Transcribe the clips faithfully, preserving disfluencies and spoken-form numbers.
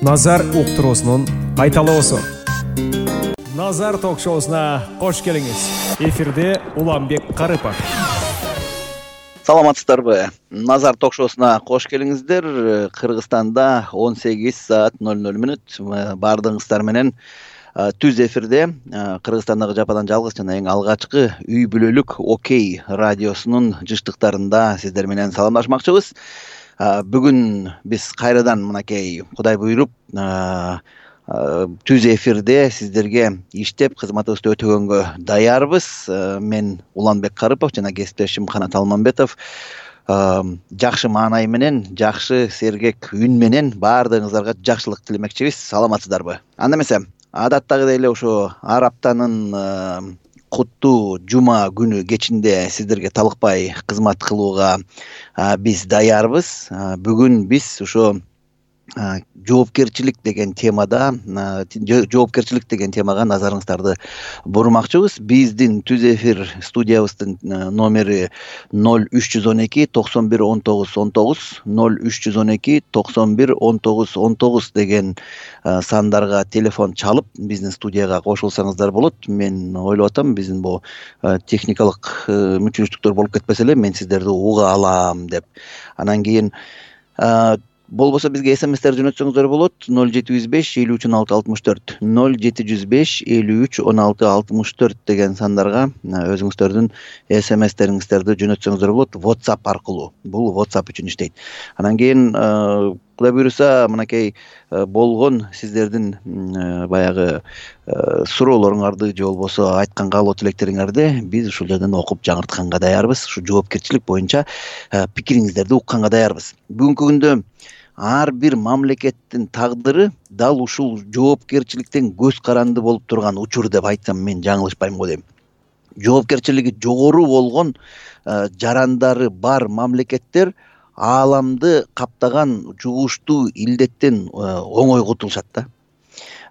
Назар уктуруусунун кайталоосу. Назар ток-шоусуна кош келиңиз. Эфирде Уланбек Карыпов. Саламатсыздарбы? Назар ток-шоусуна кош келиңиздер. Кыргызстанда он сегиз саат ноль ноль мүнөт. Баардыгыңыздар менен түз эфирде Кыргызстандагы жападан жалгыз жана эң алгачкы үй бүлөлүк Окей радиосунун жыштыктарында сиздер менен саламдашмакчыбыз. Бүгүн биз кайрадан мынакей Кудай буйруп түз эфирде сиздерге иштеп кызматыбызды өтөгөнгө даярбыз. Мен Уланбек Карыпов жана кесиптешим Канат Алмамбетов жакшы маанай менен, жакшы сергек үн менен баардыгыңыздарга жакшылык тилемекчибиз. Саламатсыздарбы? Анда эмесе, адаттагыдай эле ошо ар аптанын куттуу жума күнү кечинде сиздерге талыкпай кызмат кылууга биз даярбыз. Бүгүн биз ошо жоопкерчилик деген темада, жоопкерчилик деген темага назарыңыздарды бурмакчыбыз. Биздин түз эфир студиябыздын номери ноль үч жүз он эки токсон бир он тогуз он тогуз, ноль үч жүз он эки токсон бир он тогуз он тогуз деген сандарга телефон чалып, биздин студияга кошулсаңыздар болот. Мен ойлоп атам, биздин бул техникалык мүчүлүштүктөр болуп кетпесе эле, мен сиздерди уга алам деп. Анан кийин болбосо бизге смстер жөнөтсөңүздөр болот. ноль жети жүз беш элүү үч он алты алтымыш төрт, ноль жети жүз беш элүү үч он алты алтымыш төрт деген сандарга өзүңүздөрдүн смстериңиздерди жөнөтсөңүздөр болот. WhatsApp аркылуу. Бул WhatsApp үчүн иштейт. Анан кийин Кудай буйруса мынакей болгон сиздердин баягы суроолоруңарды же болбосо айткан каалоо тилектериңерди биз ушул жерден окуп жаңыртканга даярбыз. Ушу жоопкерчилик боюнча пикириңиздерди укканга даярбыз. Бүгүнкү күндө ар бир мамлекеттин тагдыры дал ушул жоопкерчиликтен көз каранды болуп турган учур деп айтсам мен жаңылышпайм го дейм. Жоопкерчилиги жогору болгон жарандары бар мамлекеттер ааламды каптаган жугуштуу илдеттен оңой кутулушат да.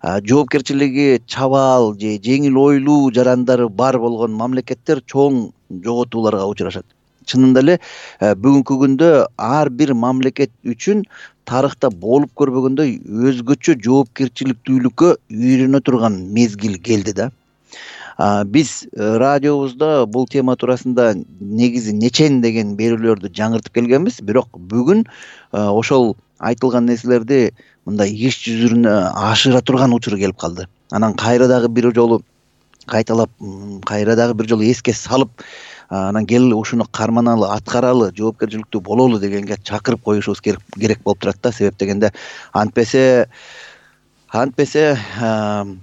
Жоопкерчилиги чабаал же жеңил ойлуу жарандары бар болгон мамлекеттер чоң жоготууларга учурашат. Чынында эле бүгүнкү күндө ар бир мамлекет үчүн тарыхта болуп көрбөгөндөй өзгөчө жоопкерчиликтүүлүккө үйрөнө турган мезгил келди да. Биз радиобузда бул тема туурасында негизи нечен деген берүүлөрдү жаңыртып келгенбиз, бирок бүгүн ошол айтылган нерселерди мындай иш жүзүнө ашыра турган учуру келип калды. Анан кайра дагы бир жолу кайталап, кайра дагы бир жолу эске салып, анан кел ушуну карманалы, аткаралы, жоопкерчиликтүү бололу дегенге чакырып коюшубуз керек болуп турат да. Себеп дегенде антпесе Антпесе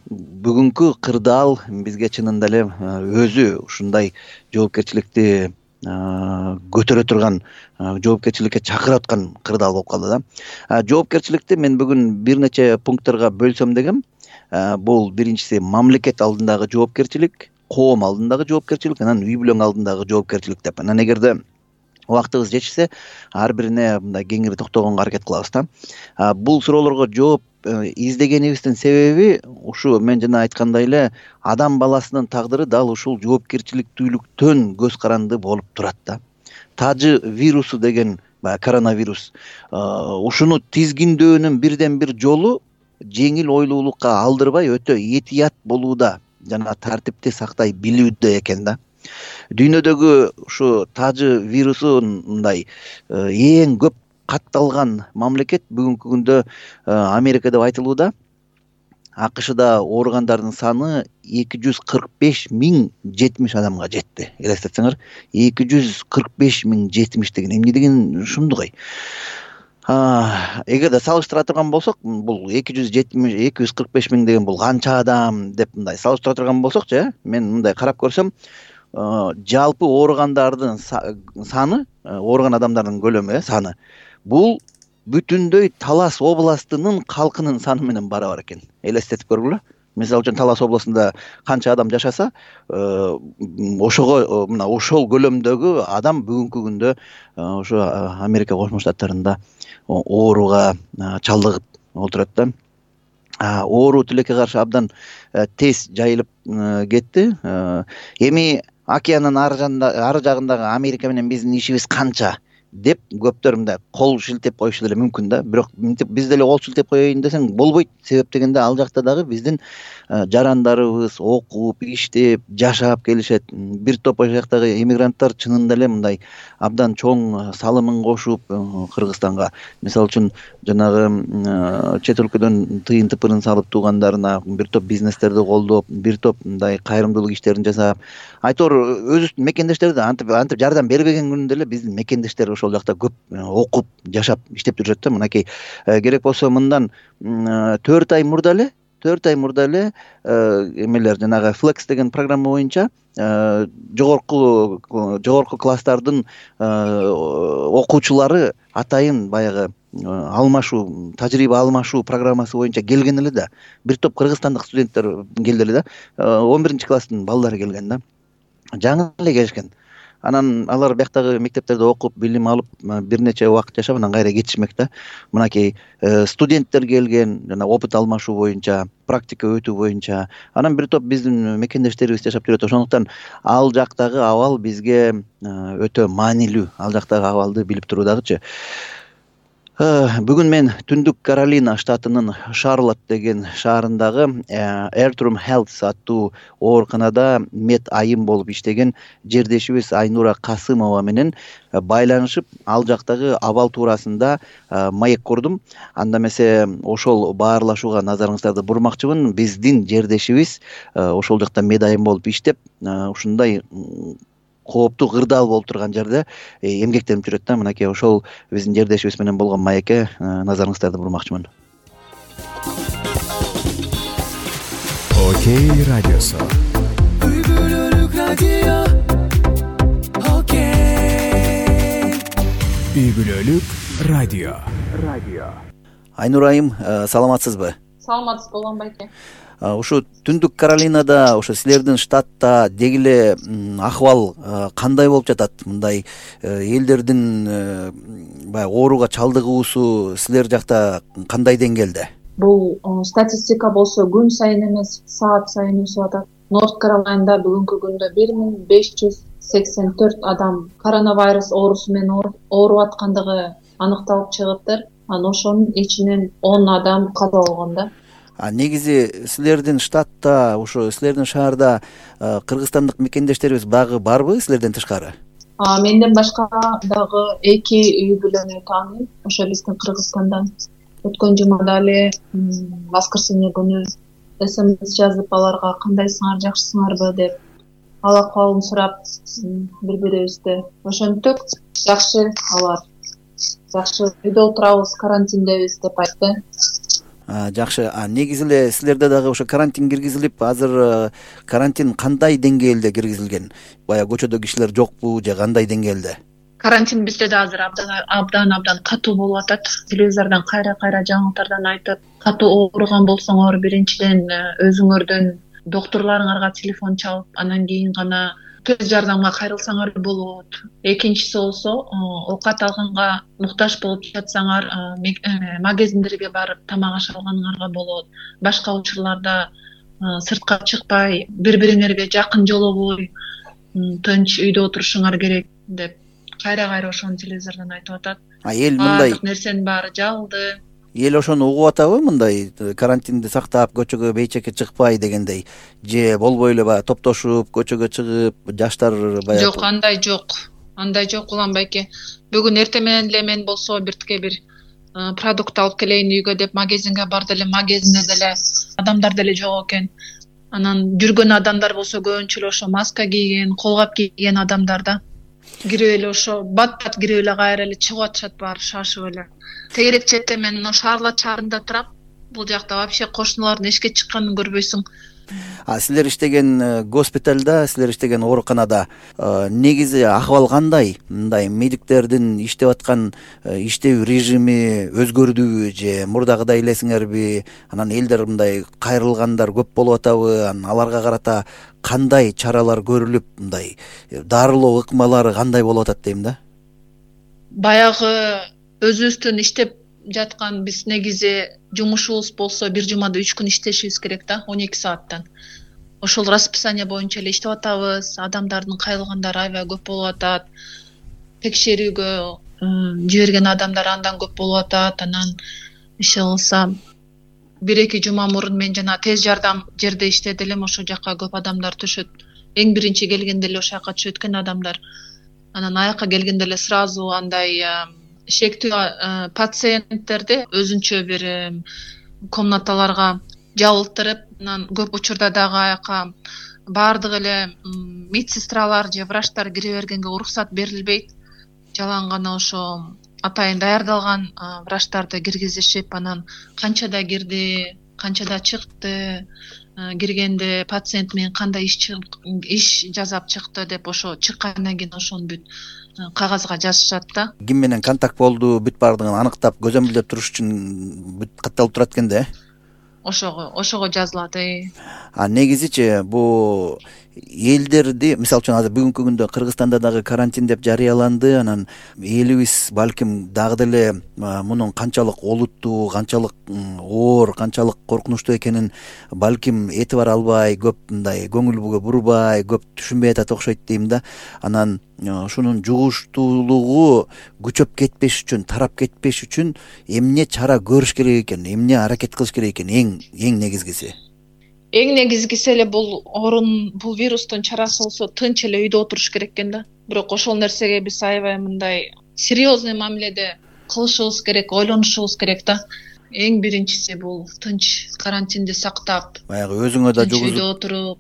бүгүнкү кырдаал бизге чынында эле өзү ушундай жоопкерчиликти көтөрө турган, жоопкерчиликке чакыра аткан кырдаал болуп калды да. Жоопкерчиликти мен бүгүн бир нече пункттарга бөлсөм дегем. Бул биринчиси мамлекет алдындагы жоопкерчилик, коом алдындагы жоопкерчилик, анан үй бүлөң алдындагы жоопкерчилик деп. Анан эгерде убактыбыз жетишсе, ар бирине мындай кеңири токтогонго аракет кылабыз да. Бул суроолорго жооп издегенибиздин себеби ушу мен жана айткандай эле адам баласынын тагдыры дал ушул жоопкерчиликтүүлүктөн көз каранды болуп турат да. Тажы вирусу деген коронавирус ушуну тизгиндөөнүн бирден бир жолу жеңил ойлуулукка алдырбай өтө этият болууда жана тартипти сактай билүүдө экен да. Дүйнөдөгү ушу тажы вирусун мындай эң көп катталган мамлекет бүгүнкү күндө Америка деп айтылууда. АКШда ооругандардын саны эки жүз кырк беш миң жетимиш адамга жетти. Элестетсеңер, эки жүз кырк беш миң жетимиш деген эмне деген ушунду кой. Эгерде салыштыра турган болсок, бул эки жүз жетимиш эки жүз кырк беш миң деген бул канча адам деп мындай салыштыра турган болсокчу, мен мындай карап көрсөм, жалпы ооругандардын саны, ооруган адамдардын көлөмү, саны бул бүтүндөй Талас областынын калкынын саны менен барабар экен. Элестетип көргүлө. Мисалы үчүн Талас областында канча адам жашаса, ошого мына ошол көлөмдөгү адам бүгүнкү күндө ошо Америка Кошмо Штаттарында ооруга чалдыгып отурат да. Оору тилекке каршы абдан тез жайылып кетти. Эми океандын ары жагындагы Америка менен биздин ишибиз канча? деп көптөр мындай кол шилтеп коюшу деле мүмкүн да. Бирок мынтип биз деле кол шилтеп коеюн десең болбойт. Себеп дегенде ал жакта дагы биздин жарандарыбыз окуп, иштеп, жашап келишет. Бир топ ошол жактагы эмигранттар чынында эле мындай абдан чоң салымын кошуп Кыргызстанга. Мисалы үчүн жанагы чет өлкөдөн тыйын тыпырын салып туугандарына бир топ бизнестерди колдоп, бир топ мындай кайрымдуулук иштерин жасап, айтор өзүбүздүн мекендештер да антип антип жардам бербеген күнүндө эле биздин мекендештер ошол жакта көп окуп, жашап, иштеп жүрүшөт да. Мынакей керек болсо мындан төрт ай мурда эле төрт ай мурда эле эмелер жанагы Flex деген программа боюнча жогорку жогорку класстардын окуучулары атайын баягы алмашуу, тажрыйба алмашуу программасы боюнча келген эле да. Бир топ кыргызстандык студенттер келди эле да. он биринчи класстын балдары келген да. Жаңы эле келишкен. Анан алар бияктагы мектептерде окуп, билим алып, бир нече убакыт жашап, анан кайра кетишмек да. Мынакей студенттер келген, жана опыт алмашуу боюнча, практика өтүү боюнча. Анан бир топ биздин мекендештерибиз жашап жүрөт. Ошондуктан ал жактагы абал бизге өтө маанилүү. Ал жактагы абалды билип туруу дагычы. Бүгүн мен Түндүк Каролина штатынын Шарлотт деген шаарындагы Airtrum Health аттуу ооруканада мед айым болуп иштеген жердешибиз Айнура Касымова менен байланышып, ал жактагы абал туурасында маек курдум. Анда эмесе ошол баарлашууга назарыңыздарды бурмакчымын. Биздин жердешибиз ошол жакта мед айым болуп иштеп, ушундай кооптуу кырдаал болуп турган жерде эмгектенип жүрөт да. Мынакей ошол биздин жердешибиз менен болгон маекке назарыңыздарды бурмакчымын. Окей радиосу. Үй бүлөлүк радио. Окей. Үй бүлөлүк радио. Радио. Айнура айым, саламатсызбы? Саламатсызбы, улан байке. Ушу Түндүк Каролинада, ошо силердин штатта деги эле акыбал кандай болуп жатат? Мындай элдердин баягы ооруга чалдыгуусу силер жакта кандай деңгээлде? Бул статистика болсо күн сайын эмес, саат сайын өсүп атат. Норт Каролинада бүгүнкү күндө бир миң беш жүз сексен төрт адам коронавирус оорусу менен ооруп аткандыгы аныкталып чыгыптыр. Анан ошонун ичинен он адам каза болгон да. А негизи силердин штатта, ошо силердин шаарда кыргызстандык мекендештерибиз багы барбы силерден тышкары? А менден башка дагы эки үй бүлөнү тааныйм, ошо биздин Кыргызстандан. Өткөн жумада эле воскресенье күнү эс эм эс жазып аларга кандайсыңар, жакшысыңарбы деп ал акыбалын сурап бири-бирибизди. Ошентип жакшы алар. Жакшы үйдө отурабыз, карантиндебиз деп айтты. Жакшы. А негизи эле силерде дагы ошо карантин киргизилип, азыр карантин кандай деңгээлде киргизилген? Бая көчөдө кишилер жокпу же кандай деңгээлде? Карантин бизде да азыр абдан абдан катуу болуп атат. Телевизордон кайра-кайра жаңылыктардан айтат. Катуу ооруган болсоңор, биринчиден өзүңөрдүн доктурларыңарга телефон чалып, анан кийин гана тез жардамга кайрылсаңар болот. Экинчиси болсо, оокат алганга муктаж болуп жатсаңар, магазиндерге барып тамак аш алганыңарга болот. Башка учурларда сыртка чыкпай, бири-бириңерге жакын жолобой, тынч үйдө отурушуңар керек деп кайра-кайра ошону телевизордон айтып атат. А эл мындай бардык нерсенин баары жабылды. Эл ошону угуп атабы, мындай карантинди сактап, көчөгө бейчекке чыкпай дегендей, же болбой эле баягы топтошуп, көчөгө чыгып, жаштар баягы? Жок, андай жок. Андай жок, улан байке. Бүгүн эртең менен эле мен болсо биртке бир продукт алып келейин үйгө деп магазинге барды эле, магазинде деле адамдар деле жок экен. Анан жүргөн адамдар болсо көбүнчө эле ошо маска кийген, колгап кийген адамдар да. Кирип эле ошо бат-бат кирип эле кайра эле чыгып атышат, баары шашып эле. Тегерек четте мен мына Шарлотт шаарында турам. Бул жакта вообще кошуналардын эшикке чыкканын көрбөйсүң. А силер иштеген госпиталда, силер иштеген ооруканада негизи акыбал кандай? Мындай медиктердин иштеп аткан иштөө режими өзгөрдүбү же мурдагыдай элесиңерби? Анан элдер мындай кайрылгандар көп болуп атабы? Анан аларга карата кандай чаралар көрүлүп, мындай дарылоо ыкмалары кандай болуп атат дейм да? Баягы өзүбүздүн иштеп жаткан биз негизи жумушубуз болсо бир жумада үч күн иштешибиз керек да, он эки сааттан. Ошол расписание боюнча эле иштеп атабыз. Адамдардын кайрылгандары аябай көп болуп атат. Текшерүүгө жиберген адамдар андан көп болуп атат. Анан иши кылса бир эки жума мурун мен жана тез жардам жерде иштеди элем, ошол жака көп адамдар түшөт. Эң биринчи келгенде эле ошол жака түшөт экен адамдар. Анан аяка келгенде эле сразу андай шектүү пациенттерди өзүнчө бир комнаталарга жабылтырып, анан көп учурда дагы аяка баардык эле медсестралар же врачтар кире бергенге уруксат берилбейт. Жалаң гана ошо атайын даярдалган врачтарды киргизишип, анан канчада кирди, канчада чыкты, киргенде пациент менен кандай иш иш жасап чыкты деп ошо чыккандан кийин ошону бүт кагазга жазышат да. Ким менен контакт болду, бүт баардыгын аныктап көзөмөлдөп туруш үчүн бүт катталып турат экен да. Ошого ошого жазылат. А негизичи бу элдерди, мисалы үчүн азыр бүгүнкү күндө Кыргызстанда дагы карантин деп жарыяланды. Анан элибиз балким дагы деле мунун канчалык олуттуу, канчалык оор, канчалык коркунучтуу экенин балким этибар албай, көп мындай көңүл бурбай, көп түшүнбөй атат окшойт дейм да. Анан ушунун жугуштуулугу күчөп кетпеш үчүн, тарап кетпеш үчүн эмне чара көрүш керек экен, эмне аракет кылыш керек экен эң эң негизгиси? Эң негизгиси эле бул орун, бул вирустун чарасы болсо тынч эле үйдө отуруш керек экен да. Бирок ошол нерсеге биз аябай мындай серьезный мамиледе кылышыбыз керек, ойлонушубуз керек да. Эң биринчиси бул тынч карантинди сактап, баягы өзүңө да жугузуп, үйдө отуруп,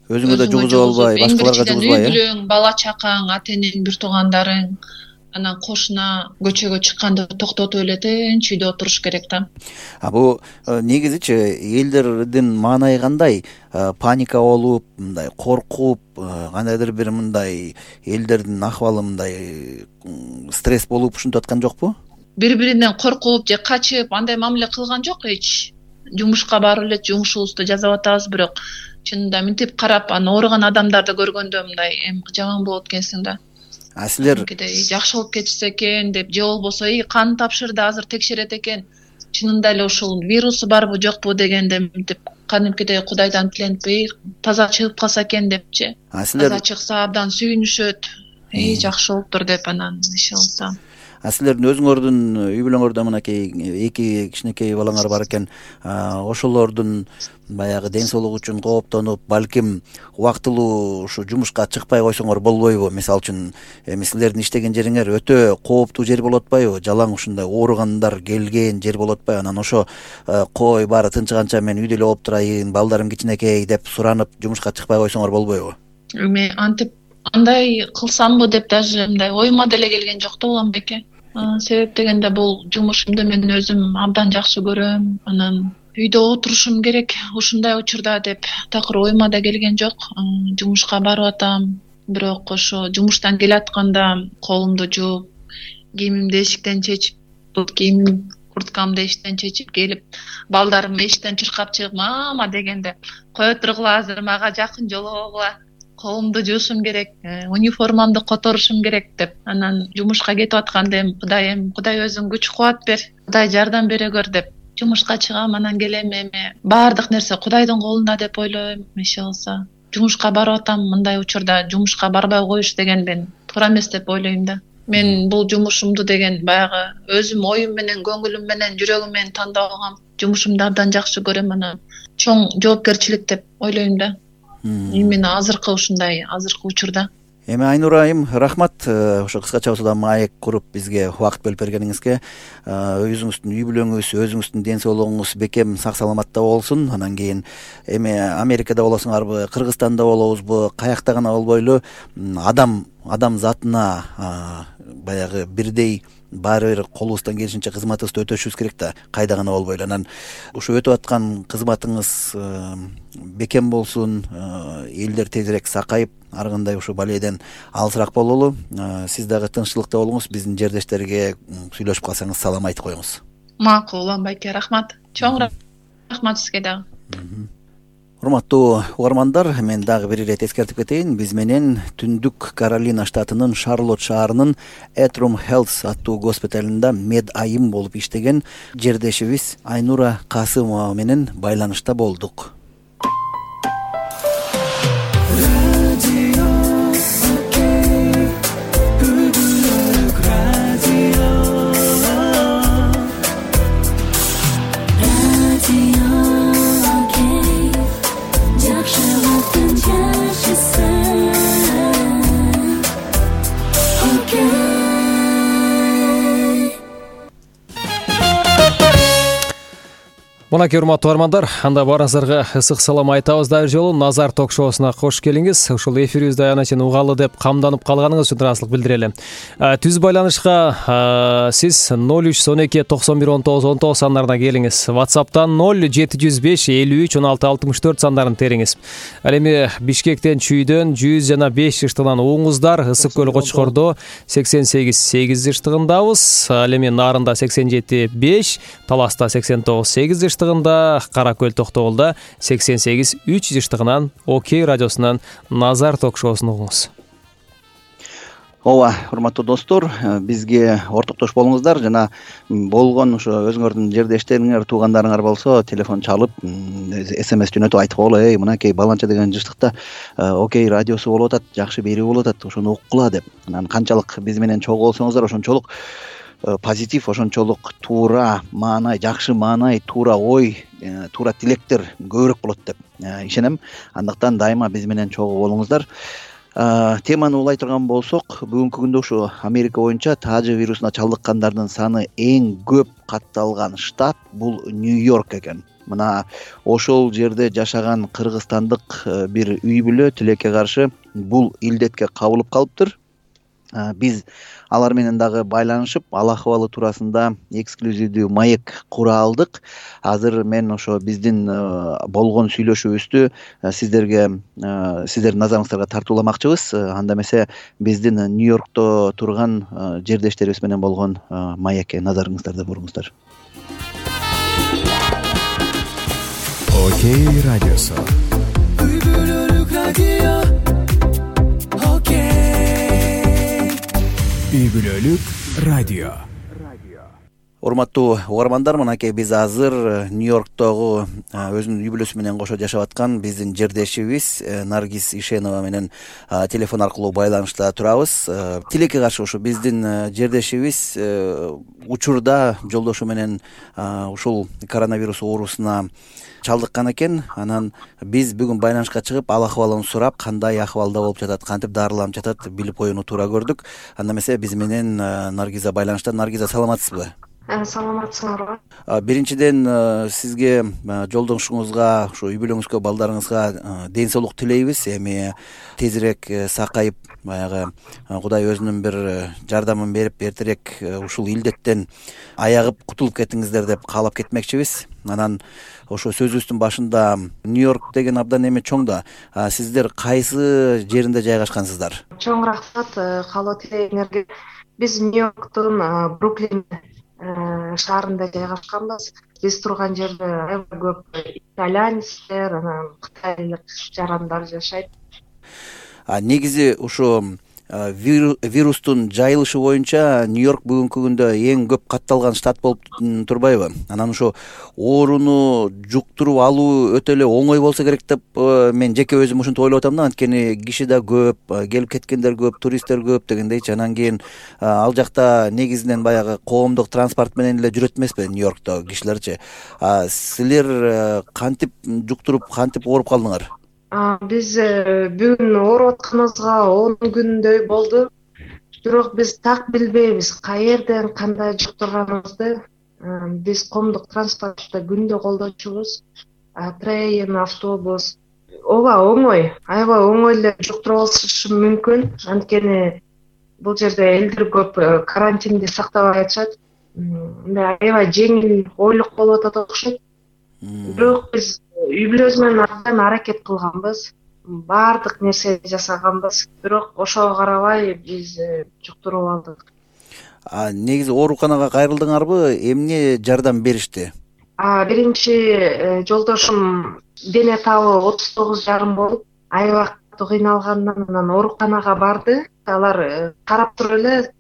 өзүңө да жугузуп албай, башкаларга жугузбай, үй бүлөң, бала чакаң, ата энең, бир туугандарың, анан кошуна көчөгө чыкканды токтотуп эле тынч үйдө отуруш керек да. А бул негизичи элдердин маанайы кандай? Паника болуп, мындай коркуп, кандайдыр бир мындай элдердин акыбалы мындай стресс болуп ушинтип аткан жокпу? Бири-биринен коркуп же качып андай мамиле кылган жок эч. Жумушка барып эле жумушубузду жасап атабыз, бирок чынында мынтип карап, анан ооруган адамдарды көргөндө мындай эми жаман болот экенсиң да. А силер жакшы болуп кетишсе экен деп, же болбосо и кан тапшырды, азыр текшерет экен, чынында эле ушул вирусу барбы жокпу дегенде мынтип кадимкидей Кудайдан тиленип, таза чыгып калса экен депчи. Таза чыкса абдан сүйүнүшөт, и жакшы болуптур деп анан иш кылса. А силердин өзүңөрдүн үй бүлөңөрдө мынакей эки кичинекей балаңар бар экен. Ошолордун баягы ден соолугу үчүн кооптонуп, балким убактылуу ушу жумушка чыкпай койсоңор болбойбу? Мисалы үчүн, эми силердин иштеген жериңер өтө кооптуу жер болуп атпайбы? Жалаң ушундай ооругандар келген жер болуп атпайбы? Анан ошо кой баары тынчыганча мен үйдө эле болуп турайын, балдарым кичинекей деп суранып жумушка чыкпай койсоңор болбойбу? Эми антип андай кылсамбы деп даже мындай оюма деле келген жок да улам беке. Себеп дегенде бул жумушумду мен өзүм абдан жакшы көрөм. Анан үйдө отурушум керек ушундай учурда деп такыр оюма да келген жок. Жумушка барып атам, бирок ошо жумуштан келатканда колумду жууп, кийимимди эшиктен чечип, кийимим, курткамды эшиктен чечип келип, балдарым эшиктен чуркап чыгып, мама дегенде, кое тургула, азыр мага жакын жолобогула, колумду жуушум керек, униформамды которушум керек деп. Анан жумушка кетип атканда эми Кудайым, Кудай өзүң күч кубат бер, Кудай жардам бере көр деп жумушка чыгам. Анан келем, эми баардык нерсе Кудайдын колунда деп ойлойм. Иши кылса жумушка барып атам, мындай учурда жумушка барбай коюш деген мен туура эмес деп ойлойм да. Мен бул жумушумду деген баягы өзүм оюм менен, көңүлүм менен, жүрөгүм менен тандабагам. Жумушумду абдан жакшы көрөм, анан чоң жоопкерчилик деп ойлойм да. Именно азыркы ушундай азыркы учурда. Эми Айнура айым, рахмат ошо кыскача болсо да маек куруп бизге убакыт бөлүп бергениңизге. Өзүңүздүн үй бүлөңүз, өзүңүздүн ден соолугуңуз бекем сак саламатта болсун. Анан кийин эми Америкада болосуңарбы, Кыргызстанда болобузбу, каякта гана болбойлу адам адам затына баягы бирдей баары бир колубуздан келишинче кызматыбызды өтөшүбүз керек да, кайда гана болбойлу. Анан ушу өтүп аткан кызматыңыз бекем болсун, элдер тезирээк сакайып, ар кандай ушу балейден алысыраак бололу. Сиз дагы тынччылыкта болуңуз, биздин жердештерге сүйлөшүп калсаңыз салам айтып коюңуз. Макул, байке, рахмат. Чоң рахмат сизге дагы. Урматтуу угармандар, мен дагы бир ирет эскертип кетейин. Биз менен Түндүк Каролина штатынын Шарлотт шаарынын Этрум Health аттуу госпиталында мед айым болуп иштеген жердешибиз Айнура Касымова менен байланышта болдук. Радио Окей, Бүгүнкү радио. Монакей урматтуу армандар, анда барыңыздарга ысык салам айтабыз. Дагы жолу Назар ток-шоусуна кош келиңиз. Ушул эфирибизди аянат чейин угалы деп камданып калганыңыз үчүн ыраазычылык билдирели. Түз байланышка сиз ноль үч он эки токсон бир он тогуз он тогуз сандарына келиңиз. WhatsApp'тан ноль жети жүз беш элүү үч он алты алтымыш төрт сандарын териңиз. Ал эми Бишкектен, Чүйдөн жүз жана беш жыштыгынан уңуңуздар. Ысык көл Кочкордо сексен сегиз сегиз жыштыгындабыз. Ал эми Нарында сексен жети беш, Таласта сексен тогуз сегиз жыштыгында, Кара көл Токтогулда сексен сегиз үч жыштыгынан Окей радиосунан Назар ток-шоусун угуңуз. Ооба, урматтуу достор, бизге ортоктош болуңуздар жана болгон ошо өзүңөрдүн жердештериңер, туугандарыңар болсо телефон чалып, смс жөнөтүп айтып койгула, эй, мынакей баланча деген жыштыкта Окей радиосу болуп атат, жакшы берүү болуп атат, ошону уккула деп. Анан канчалык биз менен чогуу болсоңуздар, ошончолук позитив, ошончолук туура маанай, жакшы маанай, туура ой, туура тилектер көбүрөөк болот деп ишенем. Андыктан дайыма биз менен чогуу болуңуздар. Теманы улай турган болсок, бүгүнкү күндө ушу Америка боюнча тажы вирусуна чалдыккандардын саны эң көп катталган штат бул Нью-Йорк экен. Мына ошол жерде жашаган кыргызстандык бир үй бүлө тилекке каршы бул илдетке кабылып калыптыр. Биз алар менен дагы байланышып, ал акыбалы туурасында эксклюзивдүү маек кура алдык. Азыр мен ошо биздин болгон сүйлөшүүбүздү сиздерге, сиздердин назарыңыздарга тартууламакчыбыз. Анда эмесе биздин Нью-Йоркто турган жердештерибиз менен болгон маекке назарыңыздарды буруңуздар. Окей радиосу. Үй бүлөлүк радио. Үй бүлөлүк радио. Урматтуу угармандар, мынакей биз азыр Нью-Йорктогу өзүнүн үй бүлөсү менен кошо жашап аткан биздин жердешибиз Наргиз Ишенова менен телефон аркылуу байланышта турабыз. Тилекке каршы ушу биздин жердешибиз учурда жолдошу менен ушул коронавирус оорусуна чалдыккан экен. Анан биз бүгүн байланышка чыгып, ал акыбалын сурап, кандай акыбалда болуп жатат, кантип дарыланып жатат билип коюуну туура көрдүк. Анда эмесе биз менен Наргиза байланышта. Наргиза, саламатсызбы? Саламатсыңарбы? Биринчиден сизге, жолдошуңузга, ушу үй бүлөңүзгө, балдарыңызга ден соолук тилейбиз. Эми тезирээк сакайып, баягы Кудай өзүнүн бир жардамын берип, эртерээк ушул илдеттен аягып кутулуп кетиңиздер деп каалап кетмекчибиз. Анан ошо сөзүбүздүн башында Нью-Йорк деген абдан эме чоң да. Сиздер кайсы жеринде жайгашкансыздар? Чоң рахмат каалоо тилегиңерге. Биз Нью-Йорктун Бруклин шаарында жайгашканбыз. Биз турган жерде аябай көп итальянецтер, анан кытайлык жарандар жашайт. Негизи ушу вирустун жайылышы боюнча Нью-Йорк бүгүнкү күндө эң көп катталган штат болуп турбайбы? Анан ошо ооруну жуктуруп алуу өтө эле оңой болсо керек деп мен жеке өзүм ушинтип ойлоп атам да. Анткени киши да көп, келип кеткендер көп, туристтер көп дегендейчи. Анан кийин ал жакта негизинен баягы коомдук транспорт менен эле жүрөт эмеспи Нью-Йоркто кишилерчи. Силер кантип жуктуруп, кантип ооруп калдыңар? Биз бүгүн ооруп атканыбызга он күндөй болду. Бирок биз так билбейбиз каерден кандай жуктурганыбызды. Биз коомдук транспортты күндө колдочубуз. Трейн, автобус. Ооба, оңой, аябай оңой эле жуктуруп алышы мүмкүн. Анткени бул жерде элдер көп карантинди сактабай атышат. Мындай аябай жеңил ойлук болуп атат окшойт. Бирок биз үй бүлөбүз менен абдан аракет кылганбыз, баардык нерсе жасаганбыз, бирок ошого карабай биз жуктуруп алдык. Негизи ооруканага кайрылдыңарбы? Эмне жардам беришти? Биринчи жолдошум дене табы отуз тогуз жарым болуп, аябай катуу кыйналгандан анан ооруканага барды. Алар карап туруп эле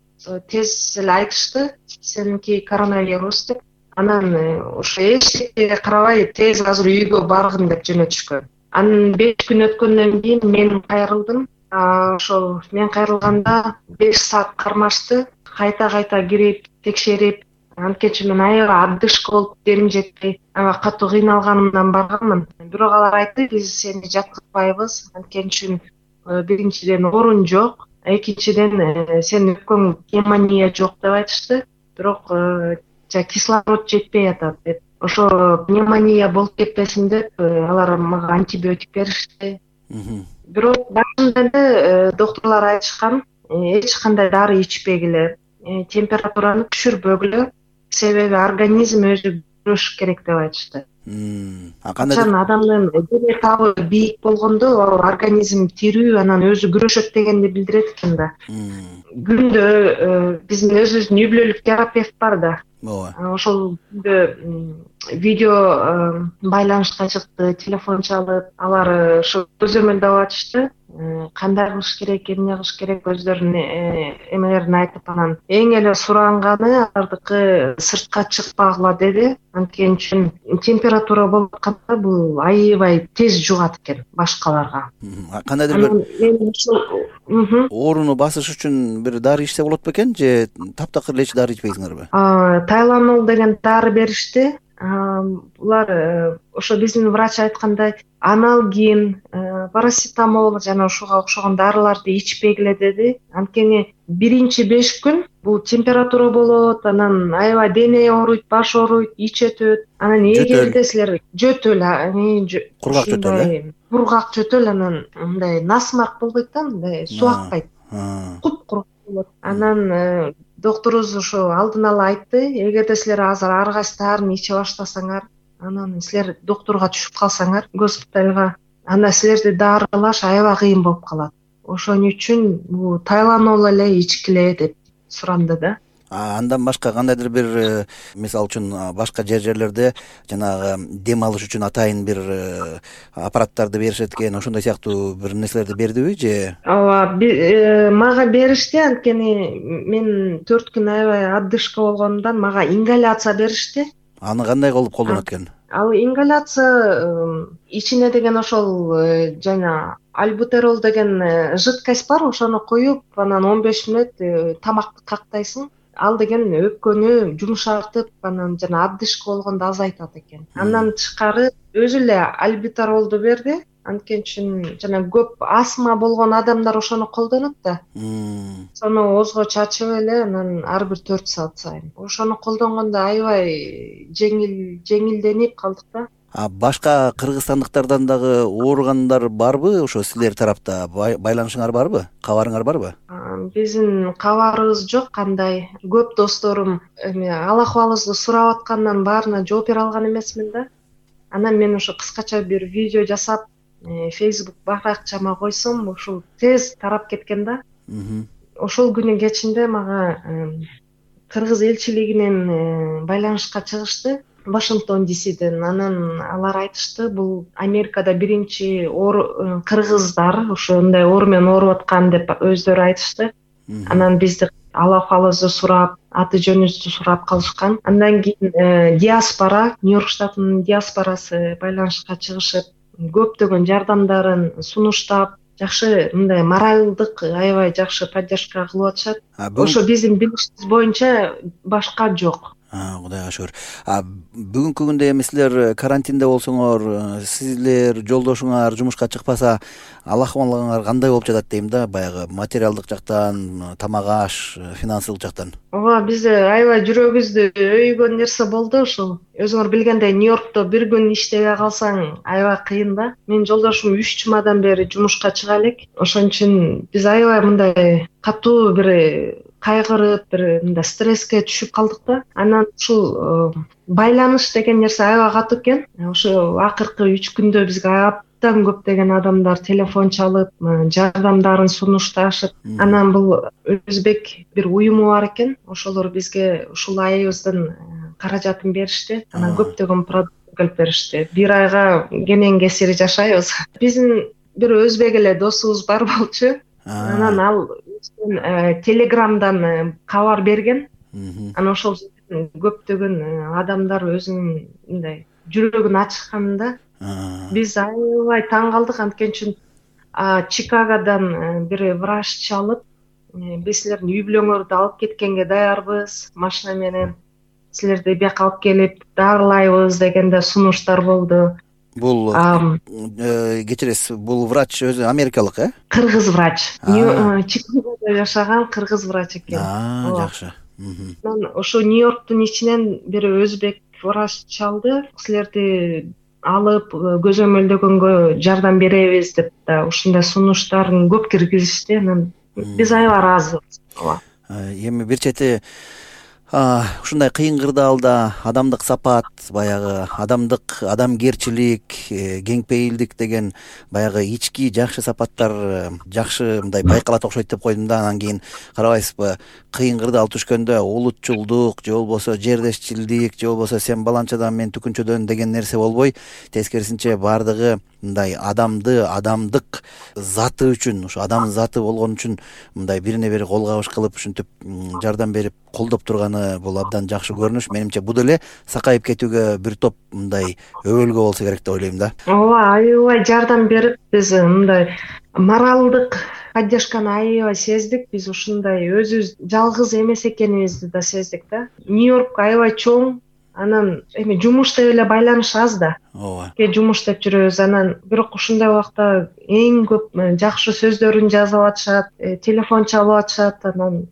тез эле айтышты, сеники коронавирус деп. Анан ошо эчтекеге карабай тез азыр үйгө баргын деп жөнөтүшкөн. Анан беш күн өткөндөн кийин мен кайрылдым. Ошол мен кайрылганда беш саат кармашты. Кайта-кайта кирип, текшерип, анткени мен аябай отдышка болуп демим жетпей, аябай катуу кыйналганымдан барганмын. Бирок алар айтты, биз сени жаткызбайбыз. Анткени үчүн биринчиден орун жок, экинчиден сенин өпкөң пневмония жок деп айтышты. Бирок кислород жетпей атат деп ошо пневмония болуп кетпесин деп алар мага антибиотик беришти. Бирок башында эле доктурлар айтышкан, эч кандай дары ичпегиле, температураны түшүрбөгүлө, себеби организм өзү күрөшүш керек деп айтышты. А кандай адамдын дене табы бийик болгондо ал организм тирүү, анан өзү күрөшөт дегенди билдирет экен да. Күндө биздин өзүбүздүн үй бүлөлүк терапевт бар да. Ооба. Ошол күндө видео байланышка чыкты, телефон чалып, алар ошо көзөмөлдөп атышты. Кандай кылыш керек, эмне кылыш керек, өздөрүнүн эмелерин айтып, анан эң эле суранганы алардыкы сыртка чыкпагыла деди. Анткени үчүн температура болуп атканда бул аябай тез жугат экен башкаларга. Кандайдыр бир ооруну басыш үчүн бир дары ичсе болот бекен же таптакыр эч дары ичпейсиңерби? Тайланол деген дары беришти. Булар ошо биздин врач айткандай аналгин, парацетамол жана ошого окшогон дарыларды ичпегиле деди. Анткени биринчи беш күн бул температура болот, анан аябай дене ооруйт, баш ооруйт, ич өтөт. Анан эгерде силер жөтөл, кургак жөтөл, кургак жөтөл, анан мындай насмарк болбойт да, мындай суу акпайт. Куп-куру болот. Анан докторубуз ошо алдын ала айтты, эгерде силер азыр ар кайсы даарыны иче баштасаңар, анан силер доктурга түшүп калсаңар, госпиталга, анда силерди даарылаш аябай кыйын болуп калат. Ошон үчүн бул тайланол эле ичкиле деп суранды да. Андан башка кандайдыр бир, мисалы үчүн башка жер жерлерде жанагы дем алыш үчүн атайын бир аппараттарды беришет экен, ошондой сыяктуу бир нерселерди бердиби же? Ооба, мага беришти, анткени мен төрт күн аябай отдышка болгондон мага ингаляция беришти. Аны кандай кылып колдонот экен? Ал ингаляция ичине деген ошол жана альбутерол деген жидкость бар, ошону куюп, анан он беш мүнөт тамакты кактайсың. Ал деген өпкөнү жумшартып, анан жана отдышка болгондо азайтат экен. Андан тышкары өзү эле альбутеролду берди. Анткени үчүн жана көп астма болгон адамдар ошону колдонот да. Сону оозго чачып эле, анан ар бир төрт саат сайын. Ошону колдонгондо аябай жеңил жеңилденип калдык да. А башка кыргызстандыктардан дагы ооругандар барбы? Ошо силер тарапта байланышыңар барбы? Кабарыңар барбы? Биздин кабарыбыз жок кандай. Көп досторум эме ал акыбалыбызды сурап аткандан баарына жооп бере алган эмесмин да. Анан мен ошо кыскача бир видео жасап, Facebook баракчама койсом, ошол тез тарап кеткен да. Ошол күнү кечинде мага кыргыз элчилигинен байланышка чыгышты. Вашингтон Дисиден. Анан алар айтышты, бул Америкада биринчи оор кыргыздар ошондой оор менен ооруп аткан деп өздөрү айтышты. Анан бизди ал акыбалыбызды сурап, аты жөнүбүздү сурап калышкан. Андан кийин диаспора, Нью-Йорк штатынын диаспорасы байланышка чыгышып, көптөгөн жардамдарын сунуштап, жакшы мындай моралдык аябай жакшы поддержка кылып атышат. Ошо биздин билишибиз боюнча башка жок. Кудайга шүгүр. Бүгүнкү күндө эми силер карантинде болсоңор, силер жолдошуңар жумушка чыкпаса, ал акыбалыңар кандай болуп жатат дейм да, баягы материалдык жактан, тамак аш, финансылык жактан? Ооба, бизде аябай жүрөгүбүздү өйгөн нерсе болду ушул. Өзүңөр билгендей, Нью-Йоркто бир күн иштебей калсаң аябай кыйын да. Мен жолдошум үч жумадан бери жумушка чыга элек. Ошон үчүн биз аябай мындай катуу бир кайгырып, бир мындай стресске түшүп калдык да. Анан ушул байланыш деген нерсе аябай катуу экен. Ошо акыркы үч күндө бизге абдан көптөгөн адамдар телефон чалып, жардамдарын сунушташып. Анан бул өзбек бир уюму бар экен. Ошолор бизге ушул айыбыздын каражатын беришти. Анан көптөгөн продукт алып беришти. Бир айга кенен кесири жашайбыз. Биздин бир өзбек эле досубуз бар болчу. Анан ал телеграмдан кабар берген. Анан ошол көптөгөн адамдар өзүнүн мындай жүрөгүн ачканда биз аябай таң калдык. Анткени үчүн Чикагодан бир врач чалып, биз силердин үй бүлөңөрдү алып кеткенге даярбыз, машина менен силерди бияка алып келип дарылайбыз дегенде сунуштар болду. Бул кечиресиз, бул врач өзү америкалык, э? Кыргыз врач. Чикагодо жашаган кыргыз врач экен. Жакшы. Ошо Нью-Йорктун ичинен бир өзбек врач чалды, силерди алып көзөмөлдөгөнгө жардам беребиз деп да ушундай сунуштарын көп киргизишти. Анан биз аябай ыраазыбыз. Ооба. Эми бир чети ушундай кыйын кырдаалда адамдык сапат, баягы адамдык адамгерчилик, кеңпейилдик деген баягы ички жакшы сапаттар жакшы мындай байкалат окшойт деп койдум да. Анан кийин карабайсызбы, кыйын кырдаал түшкөндө улутчулдук же болбосо жердешчилдик же болбосо сен баланчадан мен түкүнчөдөн деген нерсе болбой, тескерисинче баардыгы мындай адамды, адамдык заты үчүн, ушу адам заты болгон үчүн мындай бирине бири кол кабыш кылып ушинтип жардам берип колдоп турганы бул абдан жакшы көрүнүш. Менимче бул деле сакайып кетүүгө бир топ мындай өбөлгө болсо керек деп ойлойм да. Ооба, аябай жардам берип, биз мындай моралдык поддержканы аябай сездик. Биз ушундай өзүбүз жалгыз эмес экенибизди да сездик да. Нью-Йорк аябай чоң, анан эми жумушта эле байланыш аз да. Ооба. Ке жумуштап жүрөбүз, анан бирок ушундай убакта эң көп жакшы сөздөрүн жазып атышат, телефон чалып атышат. Анан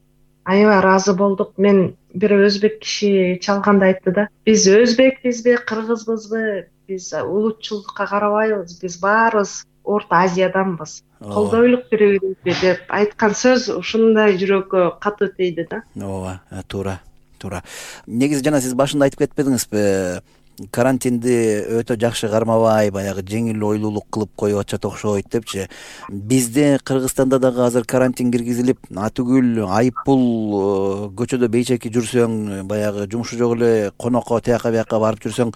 аябай ыраазы болдук. Мен бир өзбек киши чалганда айтты да, биз өзбекпизби, кыргызбызбы, биз улутчулдукка карабайбыз, биз баарыбыз Орто Азияданбыз, колдойлук бири-бирибизди деп айткан сөз ушундай жүрөккө катуу тийди да. Ооба, туура, туура. Негизи жана сиз башында айтып кетпедиңизби, карантинди өтө жакшы кармабай, баягы жеңил ойлуулук кылып коюп атышат окшойт депчи. Бизде Кыргызстанда дагы азыр карантин киргизилип, атүгүл айып пул көчөдө бейчеки жүрсөң, баягы жумушу жок эле конокко тияка бияка барып жүрсөң,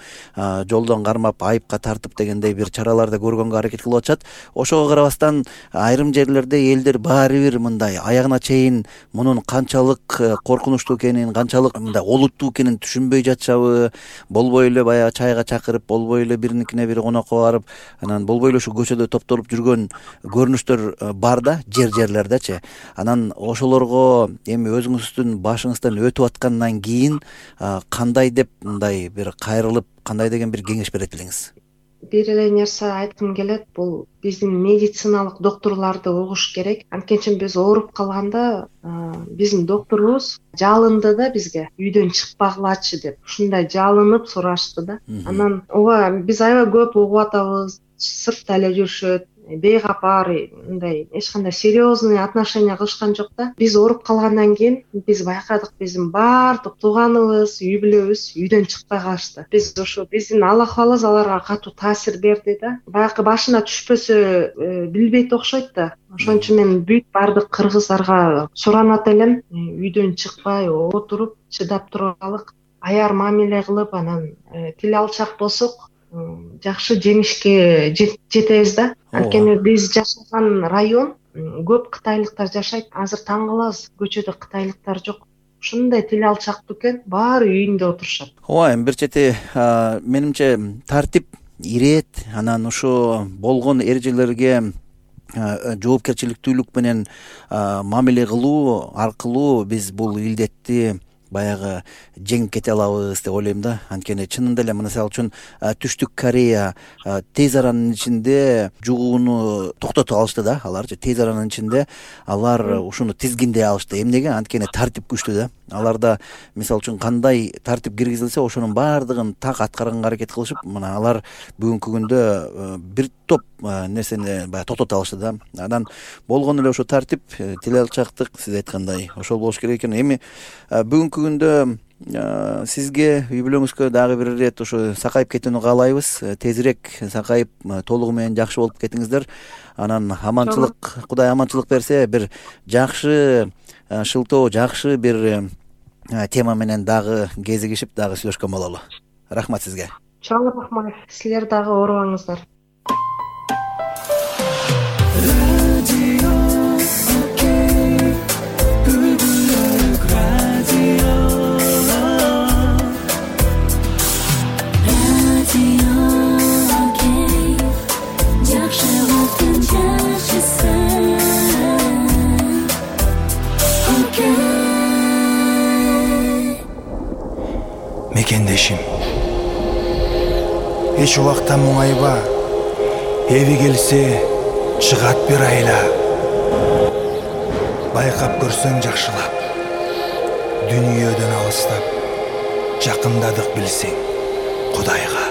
жолдон кармап айыпка тартып дегендей бир чараларды көргөнгө аракет кылып атышат. Ошого карабастан айрым жерлерде элдер баары бир мындай аягына чейин мунун канчалык коркунучтуу экенин, канчалык мындай олуттуу экенин түшүнбөй жатышабы, болбой эле баягы чайга чакырып, болбой эле бириникине бири конокко барып, анан болбой эле ушу көчөдө топтолуп жүргөн көрүнүштөр бар да, жер-жерлердечи. Анан ошолорго эми өзүңүздүн башыңыздан өтүп аткандан кийин кандай деп мындай бир кайрылып, кандай деген бир кеңеш берет элеңиз? Бир эле нерсе айткым келет, бул биздин медициналык доктурларды угуш керек. Анткени биз ооруп калганда биздин докторубуз жалынды да бизге, үйдөн чыкпагылачы деп. Ушундай жалынып сурашты да. Анан ооба, биз аябай көп угуп атабыз, сыртта эле жүрүшөт, бейкапар, мындай эч кандай серьезный отношение кылышкан жок да. Биз ооруп калгандан кийин биз байкадык, биздин баардык тууганыбыз, үй бүлөбүз үйдөн чыкпай калышты. Биз ошо биздин алакыбыз аларга катуу таасир берди да. Баягы башына түшпөсө билбейт окшойт да. Ошон үчүн мен бүт баардык кыргыздарга суранат элем, үйдөн чыкпай отуруп чыдап туралык, аяр мамиле кылып, анан тил алчак болсок жакшы жеңишке жетебиз да. Анткени биз жашаган район көп кытайлыктар жашайт. Азыр таң калабыз, көчөдө кытайлыктар жок. Ушундай тил алчактуу экен, баары үйүндө отурушат. Ооба, эми бир чети менимче тартип ирет, анан ушу болгон эрежелерге жоопкерчиликтүүлүк менен мамиле кылуу аркылуу биз бул илдетти баягы жеңип кете алабыз деп ойлойм да. Анткени чынында эле мисалы үчүн Түштүк Корея тез аранын ичинде жугууну токтотуп алышты да. Аларчы тез аранын ичинде алар ушуну тизгиндей алышты. Эмнеге? Анткени тартип күчтүү да. Аларда мисалы үчүн кандай тартип киргизилсе, ошонун баардыгын так аткарганга аракет кылышып, мына алар бүгүнкү күндө бир топ нерсени баягы токтото алышты да. Анан болгон эле ошо тартип, тил алчактык, сиз айткандай ошол болуш керек экен. Эми бүгүнкү күндө сизге, үй бүлөңүзгө дагы бир ирет ошо сакайып кетүүнү каалайбыз. Тезирээк сакайып, толугу менен жакшы болуп кетиңиздер. Анан аманчылык, Кудай аманчылык берсе, бир жакшы шылтоо, жакшы бир тема менен дагы кезигишип, дагы сүйлөшкөн бололу. Рахмат сизге. Чоң рахмат. Силер дагы оорубаңыздар. Мекендешим, эч убакта муңайба, эви келсе чыгат бир айла. Байкап көрсөң жакшылап, дүнүйөдөн алыстап, жакындадык билсең. Кудайга.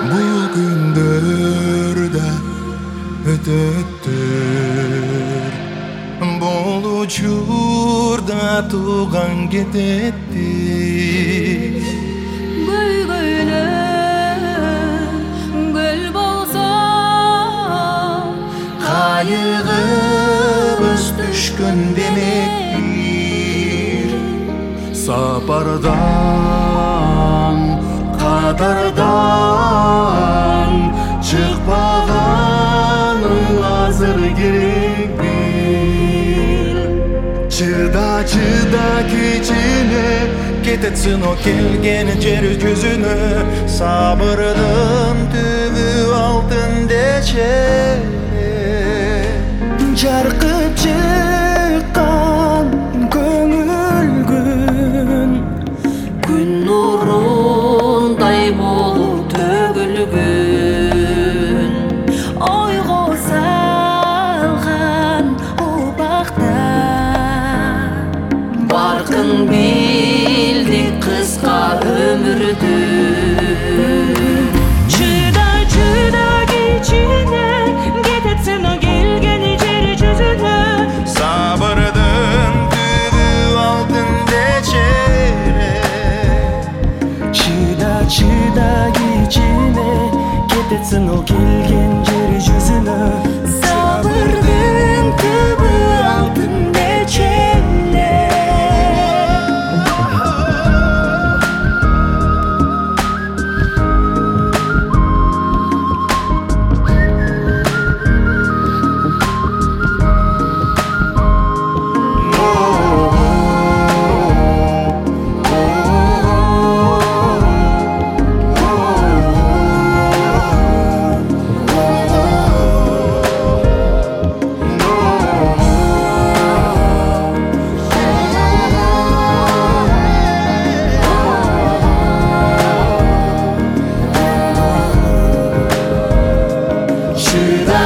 Бул күндөр да өтөттүр, бул учурда тууган кететтир. Кайыгыбыз түшкөн демекпир, сапардан кадардан чыкпаганың азыр керекпир. Чыда чыда кичине кететсин о келген жер жүзүнө, сабырдын түбү алтын дече. Жаркып чыккан көңүл күн, күн нурундай болуп төгүлгөн, ойго салган убакта баркын билдик кыска өмүрдү. Чыда чыда кичине кететсин о келген жер жүзүнө, Сабырдын түбү алтын дечере. Чыда чыда кичине кететсин ол келген жер жүзүнө, сабырдын түбү алтын дечере.